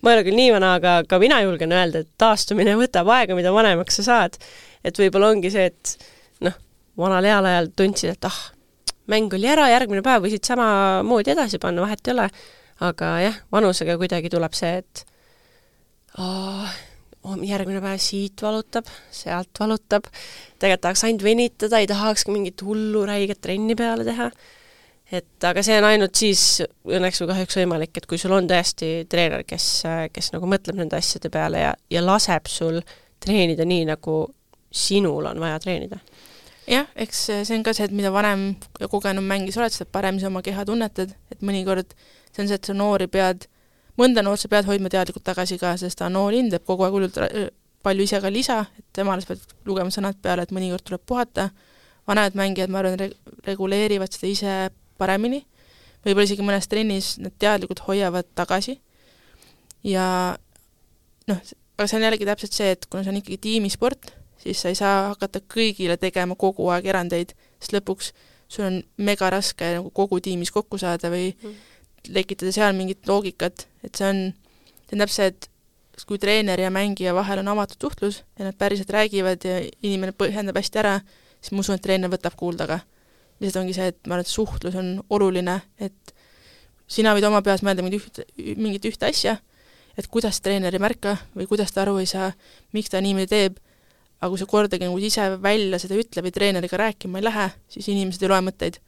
ma ei ole küll nii vana, aga ka mina julgen öelda, et taastumine võtab aega, mida vanemaks sa saad. Et võib-olla ongi see, et noh, vanal heal ajal tundsid, et ah, mäng oli ära, järgmine päev võisid sama moodi edasi panna, vahet ei ole. Aga jah, vanusega kuidagi tuleb see, et oh, järgmine päev siit valutab, sealt valutab, tegelikult tahaks ainult venitada, ei tahaks mingit hullu räiget trenni peale teha. Et aga see on ainult siis õnneks või kahjuks võimalik, et kui sul on tõesti treener, kes, kes nagu mõtleb nende asjade peale ja, ja laseb sul treenida nii, nagu sinul on vaja treenida. Jah, eks see on ka see, et mida vanem ja kogenum mängis oled, seda parem sa oma keha tunnetad, et mõnikord see on see, et sa noori pead, mõnda noort sa pead hoidma teadlikult tagasi ka, sest ta noor hindab kogu aeg hullult palju ise ka lisa, et temale sa pead lugema sõnad peale, et mõnikord tuleb puhata. Vanemad mängijad, ma arvan, re- reguleerivad seda ise paremini. Võib-olla isegi mõnes trennis nad teadlikult hoiavad tagasi. Ja noh, aga see on jällegi täpselt see, et kuna see on ikkagi tiimisport, siis sa ei saa hakata kõigile tegema kogu aeg erandeid, sest lõpuks sul on mega raske nagu kogu tiimis kokku saada või mm. lekitada seal mingit loogikat, et see on, see on täpselt, et kui treener ja mängija vahel on avatud suhtlus ja nad päriselt räägivad ja inimene põhjendab hästi ära, siis ma usun, et treener võtab kuulda ka. Lihtsalt ongi see, et ma arvan, et suhtlus on oluline, et sina võid oma peas mõelda mingit ühte, mingit ühte asja, et kuidas treener ei märka või kuidas ta aru ei saa, miks ta niimoodi teeb, aga kui sa kordagi nagu ise välja seda ütle või treeneriga rääkima ei lähe, siis inimesed ei loe mõtteid.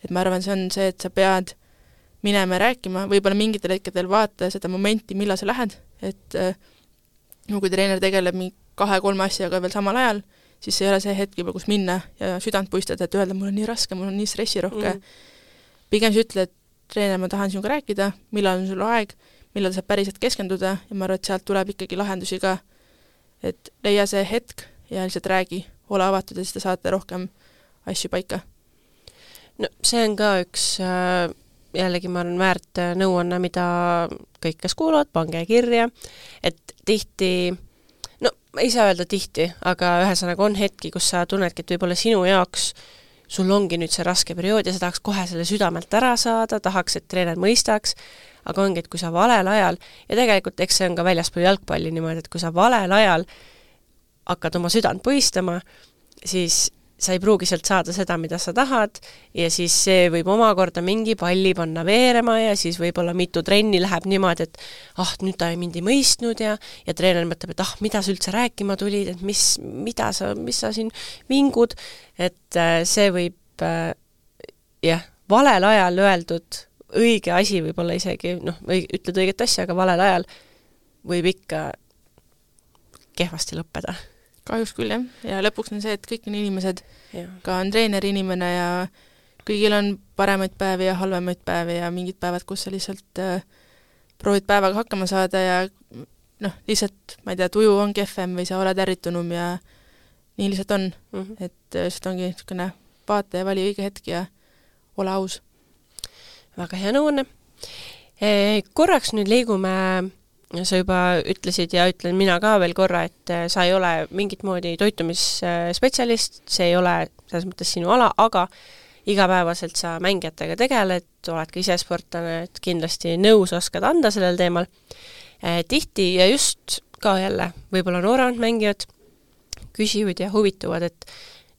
Et ma arvan, see on see, et sa pead minema ja rääkima, võib-olla mingitel hetkedel vaata seda momenti, millal sa lähed, et äh, kui treener tegeleb kahe-kolme asjaga veel samal ajal, siis ei ole see hetk juba, kus minna ja südant puistada, et öelda, mul on nii raske, mul on nii stressirohke. Mm. Pigem sa ütle, et treener, ma tahan sinuga rääkida, millal on sul aeg, millal saab päriselt keskenduda ja ma arvan, et sealt tuleb ikkagi lahendusi ka, et leia see hetk ja lihtsalt räägi, ole avatud ja siis te saate rohkem asju paika. No see on ka üks äh, jällegi ma arvan väärt nõuanne, mida kõik, kes kuuluvad, pange kirja, et tihti, no ei saa öelda tihti, aga ühesõnaga on hetki, kus sa tunnedki, et võib-olla sinu jaoks sul ongi nüüd see raske periood ja sa tahaks kohe selle südamelt ära saada, tahaks, et treener mõistaks, aga ongi, et kui sa valel ajal, ja tegelikult eks see on ka väljaspool jalgpalli niimoodi, et kui sa valel ajal hakkad oma südant puistama, siis sa ei pruugi sealt saada seda, mida sa tahad ja siis see võib omakorda mingi palli panna veerema ja siis võib-olla mitu trenni läheb niimoodi, et ah, nüüd ta ei mind ei mõistnud ja, ja treener mõtleb, et ah, mida sa üldse rääkima tulid, et mis, mida sa, mis sa siin vingud, et äh, see võib äh, jah, valel ajal öeldud õige asi võib-olla isegi, noh, ütled õiget asja, aga valel ajal võib ikka kehvasti lõppeda. Kahjuks küll, jah. Ja lõpuks on see, et kõik on inimesed, ja. Ka on treener inimene ja kõigil on paremaid päevi ja halvemaid päevi ja mingid päevad, kus sa lihtsalt äh, proovid päevaga hakkama saada ja noh, lihtsalt, ma ei tea, tuju on kehvem või sa oled ärritunum ja nii lihtsalt on. Mm -hmm. Et lihtsalt ongi niisugune vaata ja vali õige hetk ja ole aus. Väga hea nõuanne. E, korraks nüüd liigume sa juba ütlesid ja ütlen mina ka veel korra, et sa ei ole mingit moodi toitumisspetsialist, see ei ole selles mõttes sinu ala, aga igapäevaselt sa mängijatega tegeled, oled ka ise sportlane, et kindlasti nõus oskad anda sellel teemal. Tihti ja just ka jälle, võib-olla nooremad mängijad küsivad ja huvituvad, et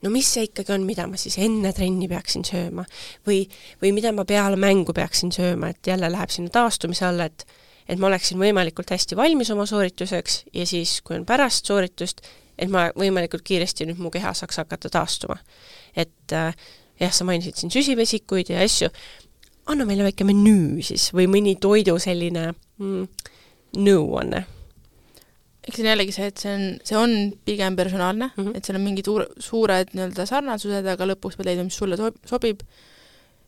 no mis see ikkagi on, mida ma siis enne trenni peaksin sööma või, või mida ma peale mängu peaksin sööma, et jälle läheb sinna taastumise alla, et et ma oleksin võimalikult hästi valmis oma soorituseks ja siis, kui on pärast sooritust, et ma võimalikult kiiresti nüüd mu keha saaks hakata taastuma. Et äh, jah, sa mainisid siin süsivesikuid ja asju, anna meile väike menüü siis või mõni toidu selline mm, nõuanne. Eks see on jällegi see, et see on, see on pigem personaalne, mm -hmm. et seal on mingid uur, suured nii-öelda sarnasused, aga lõpuks pead leidma, mis sulle sobib.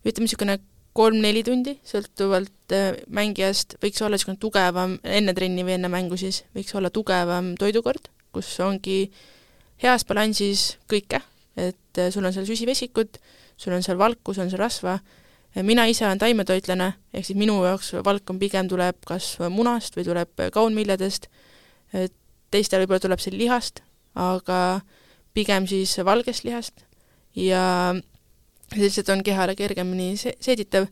Ütleme niisugune kolm-neli tundi, sõltuvalt äh, mängijast, võiks olla niisugune tugevam, enne trenni või enne mängu siis, võiks olla tugevam toidukord, kus ongi heas balansis kõike, et äh, sul on seal süsivesikud, sul on seal valku, sul on seal rasva. Mina ise olen taimetoitlane, ehk siis minu jaoks valk on pigem tuleb kas munast või tuleb kaunviljadest, teistel võib-olla tuleb see lihast, aga pigem siis valgest lihast ja lihtsalt on kehale kergemini seeditav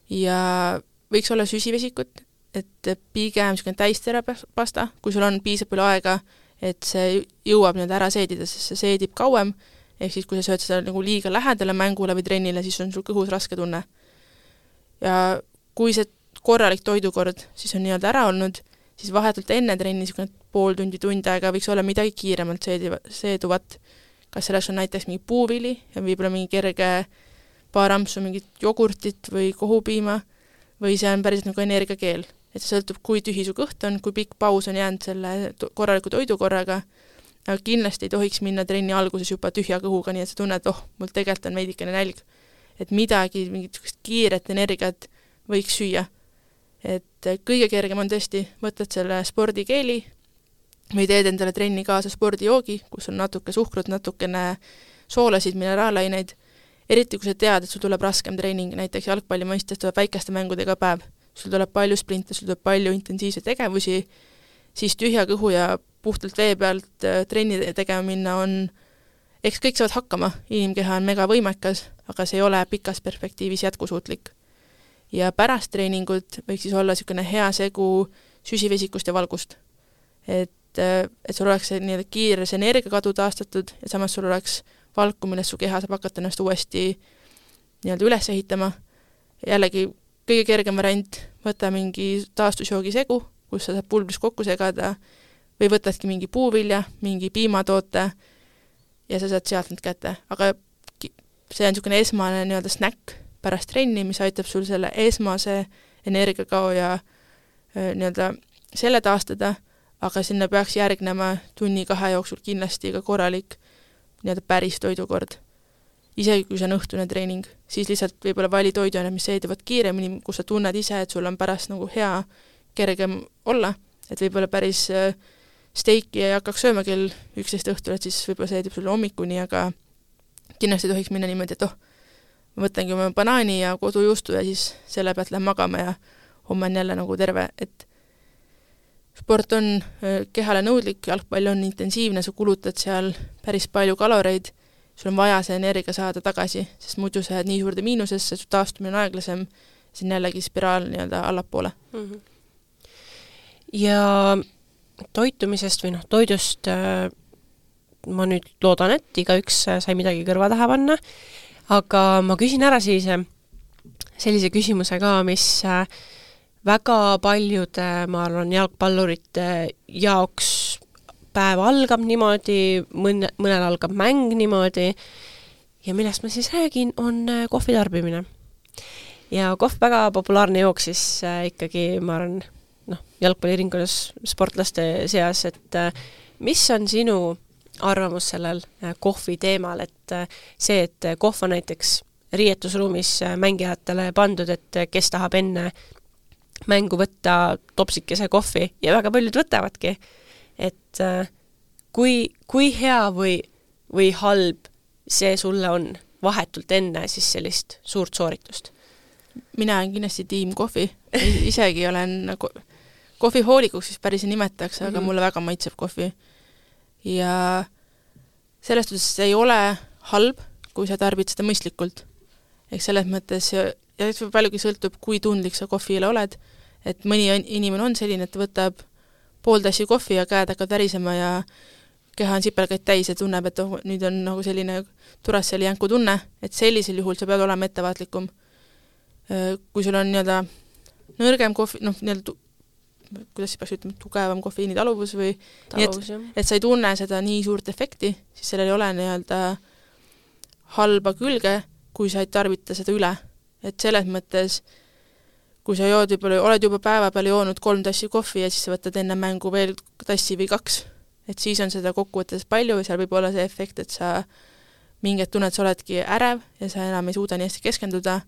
ja võiks olla süsivesikut, et pigem niisugune täisterapasta, kui sul on piisab palju aega, et see jõuab nii-öelda ära seedida, sest see seedib kauem, ehk siis kui sa sööd seda nagu liiga lähedale mängule või trennile, siis on sul kõhus raske tunne. Ja kui see korralik toidukord siis on nii-öelda ära olnud, siis vahetult enne trenni niisugune pool tundi, tund aega võiks olla midagi kiiremalt seeduvat. Kas selleks on näiteks mingi puuvili ja võib-olla mingi kerge paar ampsu mingit jogurtit või kohupiima või see on päriselt nagu energiakeel. Et see sõltub, kui tühi su kõht on, kui pikk paus on jäänud selle korraliku toidukorraga, aga kindlasti ei tohiks minna trenni alguses juba tühja kõhuga, nii et sa tunned, oh, mul tegelikult on veidikene nälg. Et midagi, mingit kiiret energiat võiks süüa. Et kõige kergem on tõesti, võtad selle spordikeeli või teed endale trenni kaasa spordijoogi, kus on natuke suhkrut, natukene soolasid, mineraalaineid, eriti kui sa tead, et sul tuleb raskem treening, näiteks jalgpalli mõistes tuleb väikeste mängudega päev, sul tuleb palju sprinte, sul tuleb palju intensiivseid tegevusi, siis tühja kõhu ja puhtalt vee pealt trenni tegema minna on, eks kõik saavad hakkama, inimkeha on mega võimekas, aga see ei ole pikas perspektiivis jätkusuutlik. Ja pärast treeningut võiks siis olla niisugune hea segu süsivesikust ja valgust. Et, et sul oleks see nii kiire see energiakadu taastatud ja samas sul oleks valku, millest su keha saab hakata ennast uuesti nii-öelda üles ehitama. Jällegi kõige kergem variant, võta mingi taastusjoogi segu, kus sa saad pulbris kokku segada või võtadki mingi puuvilja, mingi piimatoote ja sa saad sealt need kätte. Aga see on niisugune esmane nii-öelda snäkk pärast trenni, mis aitab sul selle esmase energiakao ja nii-öelda selle taastada, aga sinna peaks järgnema tunni kahe jooksul kindlasti ka korralik nii-öelda päris toidukord. Isegi kui see on õhtune treening, siis lihtsalt võib-olla vali toiduained, mis seeduvad kiiremini, kus sa tunned ise, et sul on pärast nagu hea kergem olla, et võib-olla päris steiki ei hakkaks sööma kell üksteist õhtul, et siis võib-olla seedib sulle hommikuni, aga kindlasti tohiks minna niimoodi, et oh, ma võtangi oma banaani ja kodujuustu ja siis selle pealt lähen magama ja homme on jälle nagu terve, et sport on kehale nõudlik, jalgpall on intensiivne, sa kulutad seal päris palju kaloreid, sul on vaja see energia saada tagasi, sest muidu sa jääd nii suurde miinusesse, su taastumine on aeglasem, see on jällegi spiraal nii-öelda allapoole. Mm-hmm. Ja toitumisest või noh, toidust äh, ma nüüd loodan, et igaüks sai midagi kõrva taha panna, aga ma küsin ära siis sellise küsimuse ka, mis äh, väga paljude, ma arvan, jalgpallurite jaoks päev algab niimoodi, mõne, mõnel algab mäng niimoodi ja millest ma siis räägin, on kohvi tarbimine. Ja kohv väga populaarne jook siis äh, ikkagi, ma arvan, noh, jalgpallirinkonnas sportlaste seas, et äh, mis on sinu arvamus sellel äh, kohvi teemal, et äh, see, et kohv on näiteks riietusruumis äh, mängijatele pandud, et äh, kes tahab enne mängu võtta topsikese kohvi ja väga paljud võtavadki, et äh, kui, kui hea või, või halb see sulle on vahetult enne siis sellist suurt sooritust? Mina olen kindlasti tiim kohvi, isegi olen nagu kohvihoolikuks, siis päris ei nimetaks, aga mm-hmm. mulle väga maitseb kohvi. Ja sellest mõttes ei ole halb, kui sa tarbid seda mõistlikult. Ehk selles mõttes, ja paljugi sõltub, kui tundlik sa kohvile oled, et mõni inimene on selline, et võtab pool tassi kohvi ja käed hakkavad värisema ja keha on sipelgaid täis ja tunneb, et oh, nüüd on nagu selline Duracelli jänku tunne, et sellisel juhul sa pead olema ettevaatlikum. Kui sul on nii-öelda nõrgem kohvi, noh, nii-öelda, kuidas peaks ütlema, tugevam kofeiini taluvus või taluvus, nii, et, et sa ei tunne seda nii suurt efekti, siis sellel ei ole nii-öelda halba külge, kui sa ei tarbita seda üle. Et selles mõttes, kui sa jood võib-olla, oled juba päeva peal joonud kolm tassi kohvi ja siis sa võtad enne mängu veel tassi või kaks, et siis on seda kokkuvõttes palju ja seal võib olla see efekt, et sa mingid tunned, sa oledki ärev ja sa enam ei suuda nii hästi keskenduda,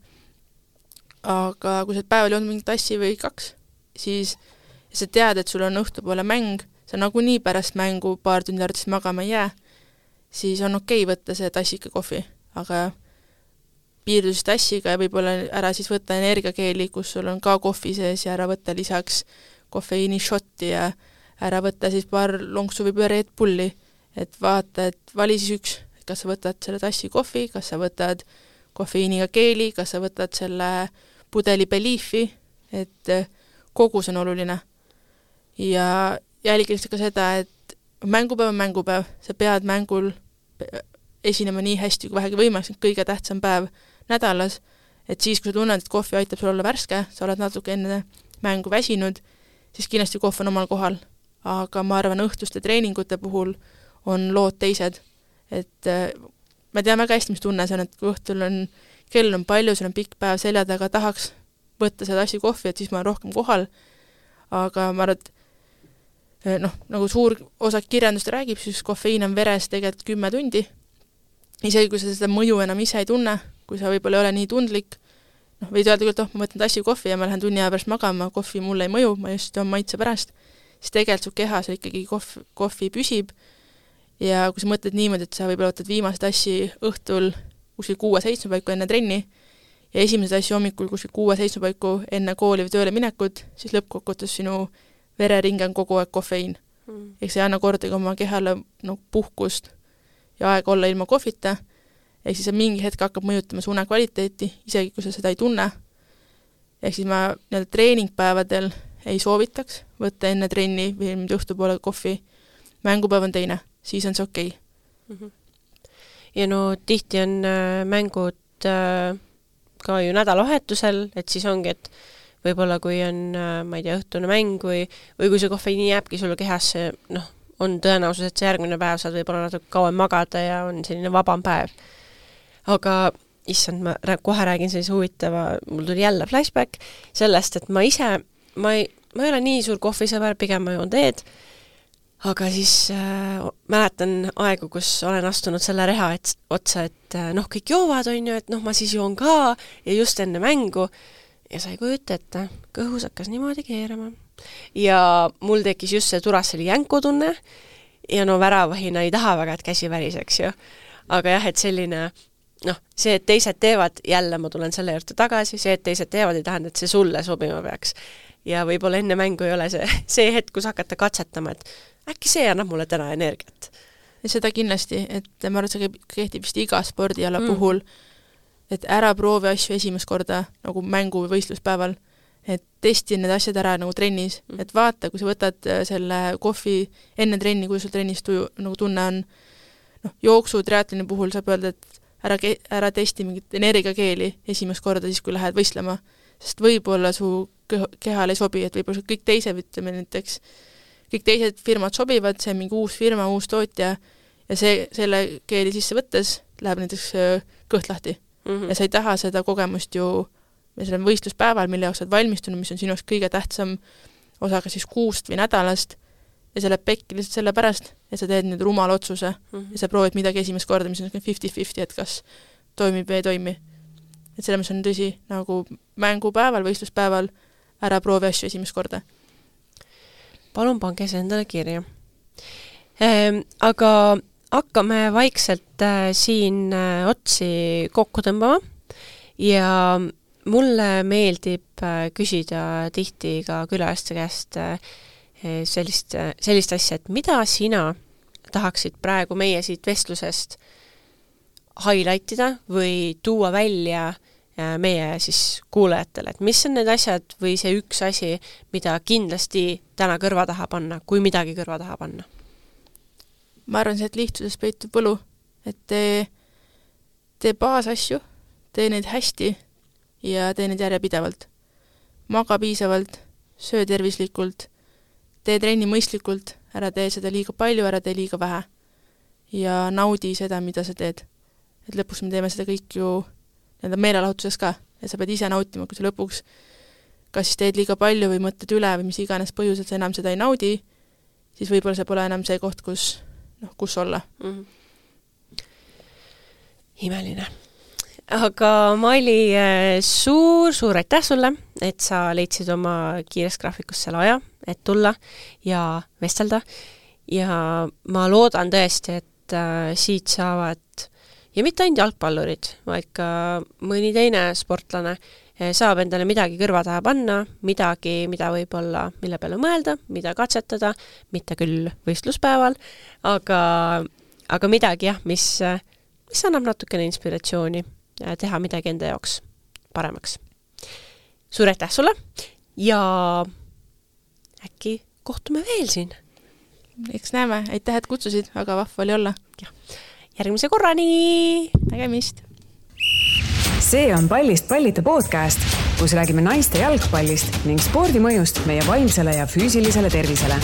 aga kui sa päeval joonud mingi tassi või kaks, siis sa tead, et sul on õhtupoole mäng, sa nagunii pärast mängu paar tundi arvates magama ei jää, siis on okei võtta see tassika kohvi, aga piirdus tassiga ja võib-olla ära siis võtta energiakeeli, kus sul on ka kohvi sees ja ära võtta lisaks kofeiini šotti ja ära võtta siis paar lonksu või Red Bulli, et vaata, et vali siis üks, et kas sa võtad selle tassi kohvi, kas sa võtad kofeiiniga keeli, kas sa võtad selle pudeli Beliefi, et kogus on oluline. Ja jälgiliselt ka seda, et mängupäev on mängupäev, sa pead mängul esinema nii hästi kui vähegi võimalik, kõige tähtsam päev nädalas, et siis, kui sa tunned, et kohvi aitab sul olla värske, sa oled natuke enne mängu väsinud, siis kindlasti kohv on omal kohal. aga ma arvan, õhtuste treeningute puhul on lood teised. Et ma tean väga hästi, mis tunne see on, et kui õhtul on, kell on palju, sul on pikk päev selja taga, tahaks võtta seda asja kohvi, et siis ma olen rohkem kohal, aga ma arvan, et noh, nagu suur osa kirjandust räägib, siis kofeiin on veres tegelikult kümme tundi. Isegi kui sa seda mõju enam ise ei tunne, kui sa võib-olla ei ole nii tundlik, noh, võid öelda küll, et oh, ma võtan tassi kohvi ja ma lähen tunni aja pärast magama, kohvi mulle ei mõju, ma just on maitse pärast, siis tegelikult su kehas ikkagi kohv, kohvi püsib ja kui sa mõtled niimoodi, et sa võib-olla võtad viimase tassi õhtul kuskil kuue-seitsme paiku enne trenni ja esimese tassi hommikul kuskil kuue-seitsme paiku enne kooli või tööle minekut, siis lõppkokkuvõttes sinu vereringe on kogu aeg kofeiin. Mm. Ehk see ei anna kordagi oma kehale no, puhkust ja aega olla ilma kohvita, ehk siis mingi hetk hakkab mõjutama su une kvaliteeti, isegi kui sa seda ei tunne. Ehk siis ma nii-öelda treeningpäevadel ei soovitaks võtta enne trenni või õhtupoole kohvi. Mängupäev on teine, siis on see okei. Okay. Mm-hmm. Ja no tihti on äh, mängud äh, ka ju nädalavahetusel, et siis ongi, et võib-olla kui on, äh, ma ei tea, õhtune mäng või, või kui see kohveiini jääbki sulle kehasse, noh, on tõenäosus, et see järgmine päev saad võib-olla natuke kauem magada ja on selline vabam päev. Aga issand, ma kohe räägin sellise huvitava, mul tuli jälle flashback sellest, et ma ise, ma ei, ma ei ole nii suur kohvisõber, pigem ma joon teed, aga siis äh, mäletan aegu, kus olen astunud selle reha et, otsa, et äh, noh, kõik joovad, on ju, et noh, ma siis joon ka ja just enne mängu ja sai kujuta ette, kõhus hakkas niimoodi keerama. Ja mul tekkis just see Turasseli jänku tunne ja no väravahina ei taha väga, et käsi väriseks ju. Aga jah, et selline noh, see, et teised teevad, jälle ma tulen selle juurde tagasi, see, et teised teevad, ei tähenda, et see sulle sobima peaks. Ja võib-olla enne mängu ei ole see, see hetk, kus hakata katsetama, et äkki see annab mulle täna energiat. Ja seda kindlasti, et ma arvan, et see kehtib vist iga spordiala mm. puhul, et ära proovi asju esimest korda nagu mängu või võistluspäeval, et testi need asjad ära nagu trennis, mm. et vaata, kui sa võtad selle kohvi enne trenni, kui sul trennis tuju, nagu tunne on, noh, jooksu triatloni puhul saab öelda, et ära, ära testi mingit energiakeeli esimest korda siis, kui lähed võistlema, sest võib-olla su kehal ei sobi, et võib-olla kõik teised, ütleme näiteks, kõik teised firmad sobivad, see on mingi uus firma, uus tootja ja see, selle keeli sisse võttes läheb näiteks kõht lahti. Mm-hmm. Ja sa ei taha seda kogemust ju selle võistluspäeval, mille jaoks saad valmistunud, mis on sinu jaoks kõige tähtsam osa ka siis kuust või nädalast ja see läheb pekki lihtsalt selle pärast, et sa teed nüüd rumala otsuse mm-hmm. ja sa proovid midagi esimest korda, mis on fifty fifty, et kas toimib või ei toimi. Et selle mis on tõsi, nagu mängupäeval, võistluspäeval ära proovi asju esimest korda. Palun pange see endale kirja. Ehm, aga hakkame vaikselt äh, siin äh, otsi kokku tõmbama ja mulle meeldib äh, küsida tihti ka külaliste käest äh, sellist, äh, sellist asja, et mida sina tahaksid praegu meie siit vestlusest highlightida või tuua välja äh, meie siis kuulajatele, et mis on need asjad või see üks asi, mida kindlasti täna kõrva taha panna, kui midagi kõrva taha panna? Ma arvan see, et lihtsuses peitub võlu, et tee, tee baasasju, tee neid hästi ja tee neid järjepidevalt. Maga piisavalt, söö tervislikult, tee trenni mõistlikult, ära tee seda liiga palju, ära tee liiga vähe ja naudi seda, mida sa teed. Et lõpuks me teeme seda kõik ju meelelahutuses ka, et sa pead ise nautima, kui sa lõpuks kas siis teed liiga palju või mõtled üle või mis iganes põhjused sa enam seda ei naudi, siis võib-olla see pole enam see koht, kus noh, kus olla. Mm-hmm. Imeline. Aga Maili, suur, suur aitäh sulle, et sa leidsid oma kiires graafikus selle aja, et tulla ja vestelda. Ja ma loodan tõesti, et äh, siit saavad, ja mitte ainult jalgpallurid, vaid ka mõni teine sportlane saab endale midagi kõrva taha panna, midagi, mida võib-olla, mille peale mõelda, mida katsetada, mitte küll võistluspäeval, aga, aga midagi jah, mis, mis annab natukene inspiratsiooni teha midagi enda jaoks paremaks. Suur aitäh sulle ja äkki kohtume veel siin. Eks näeme, aitäh, et kutsusid, aga vahva oli olla. Ja. Järgmise korrani! Nägemist! See on Pallist pallita podcast. kus räägime naiste jalgpallist ning spordi mõjust meie vaimsele ja füüsilisele tervisele.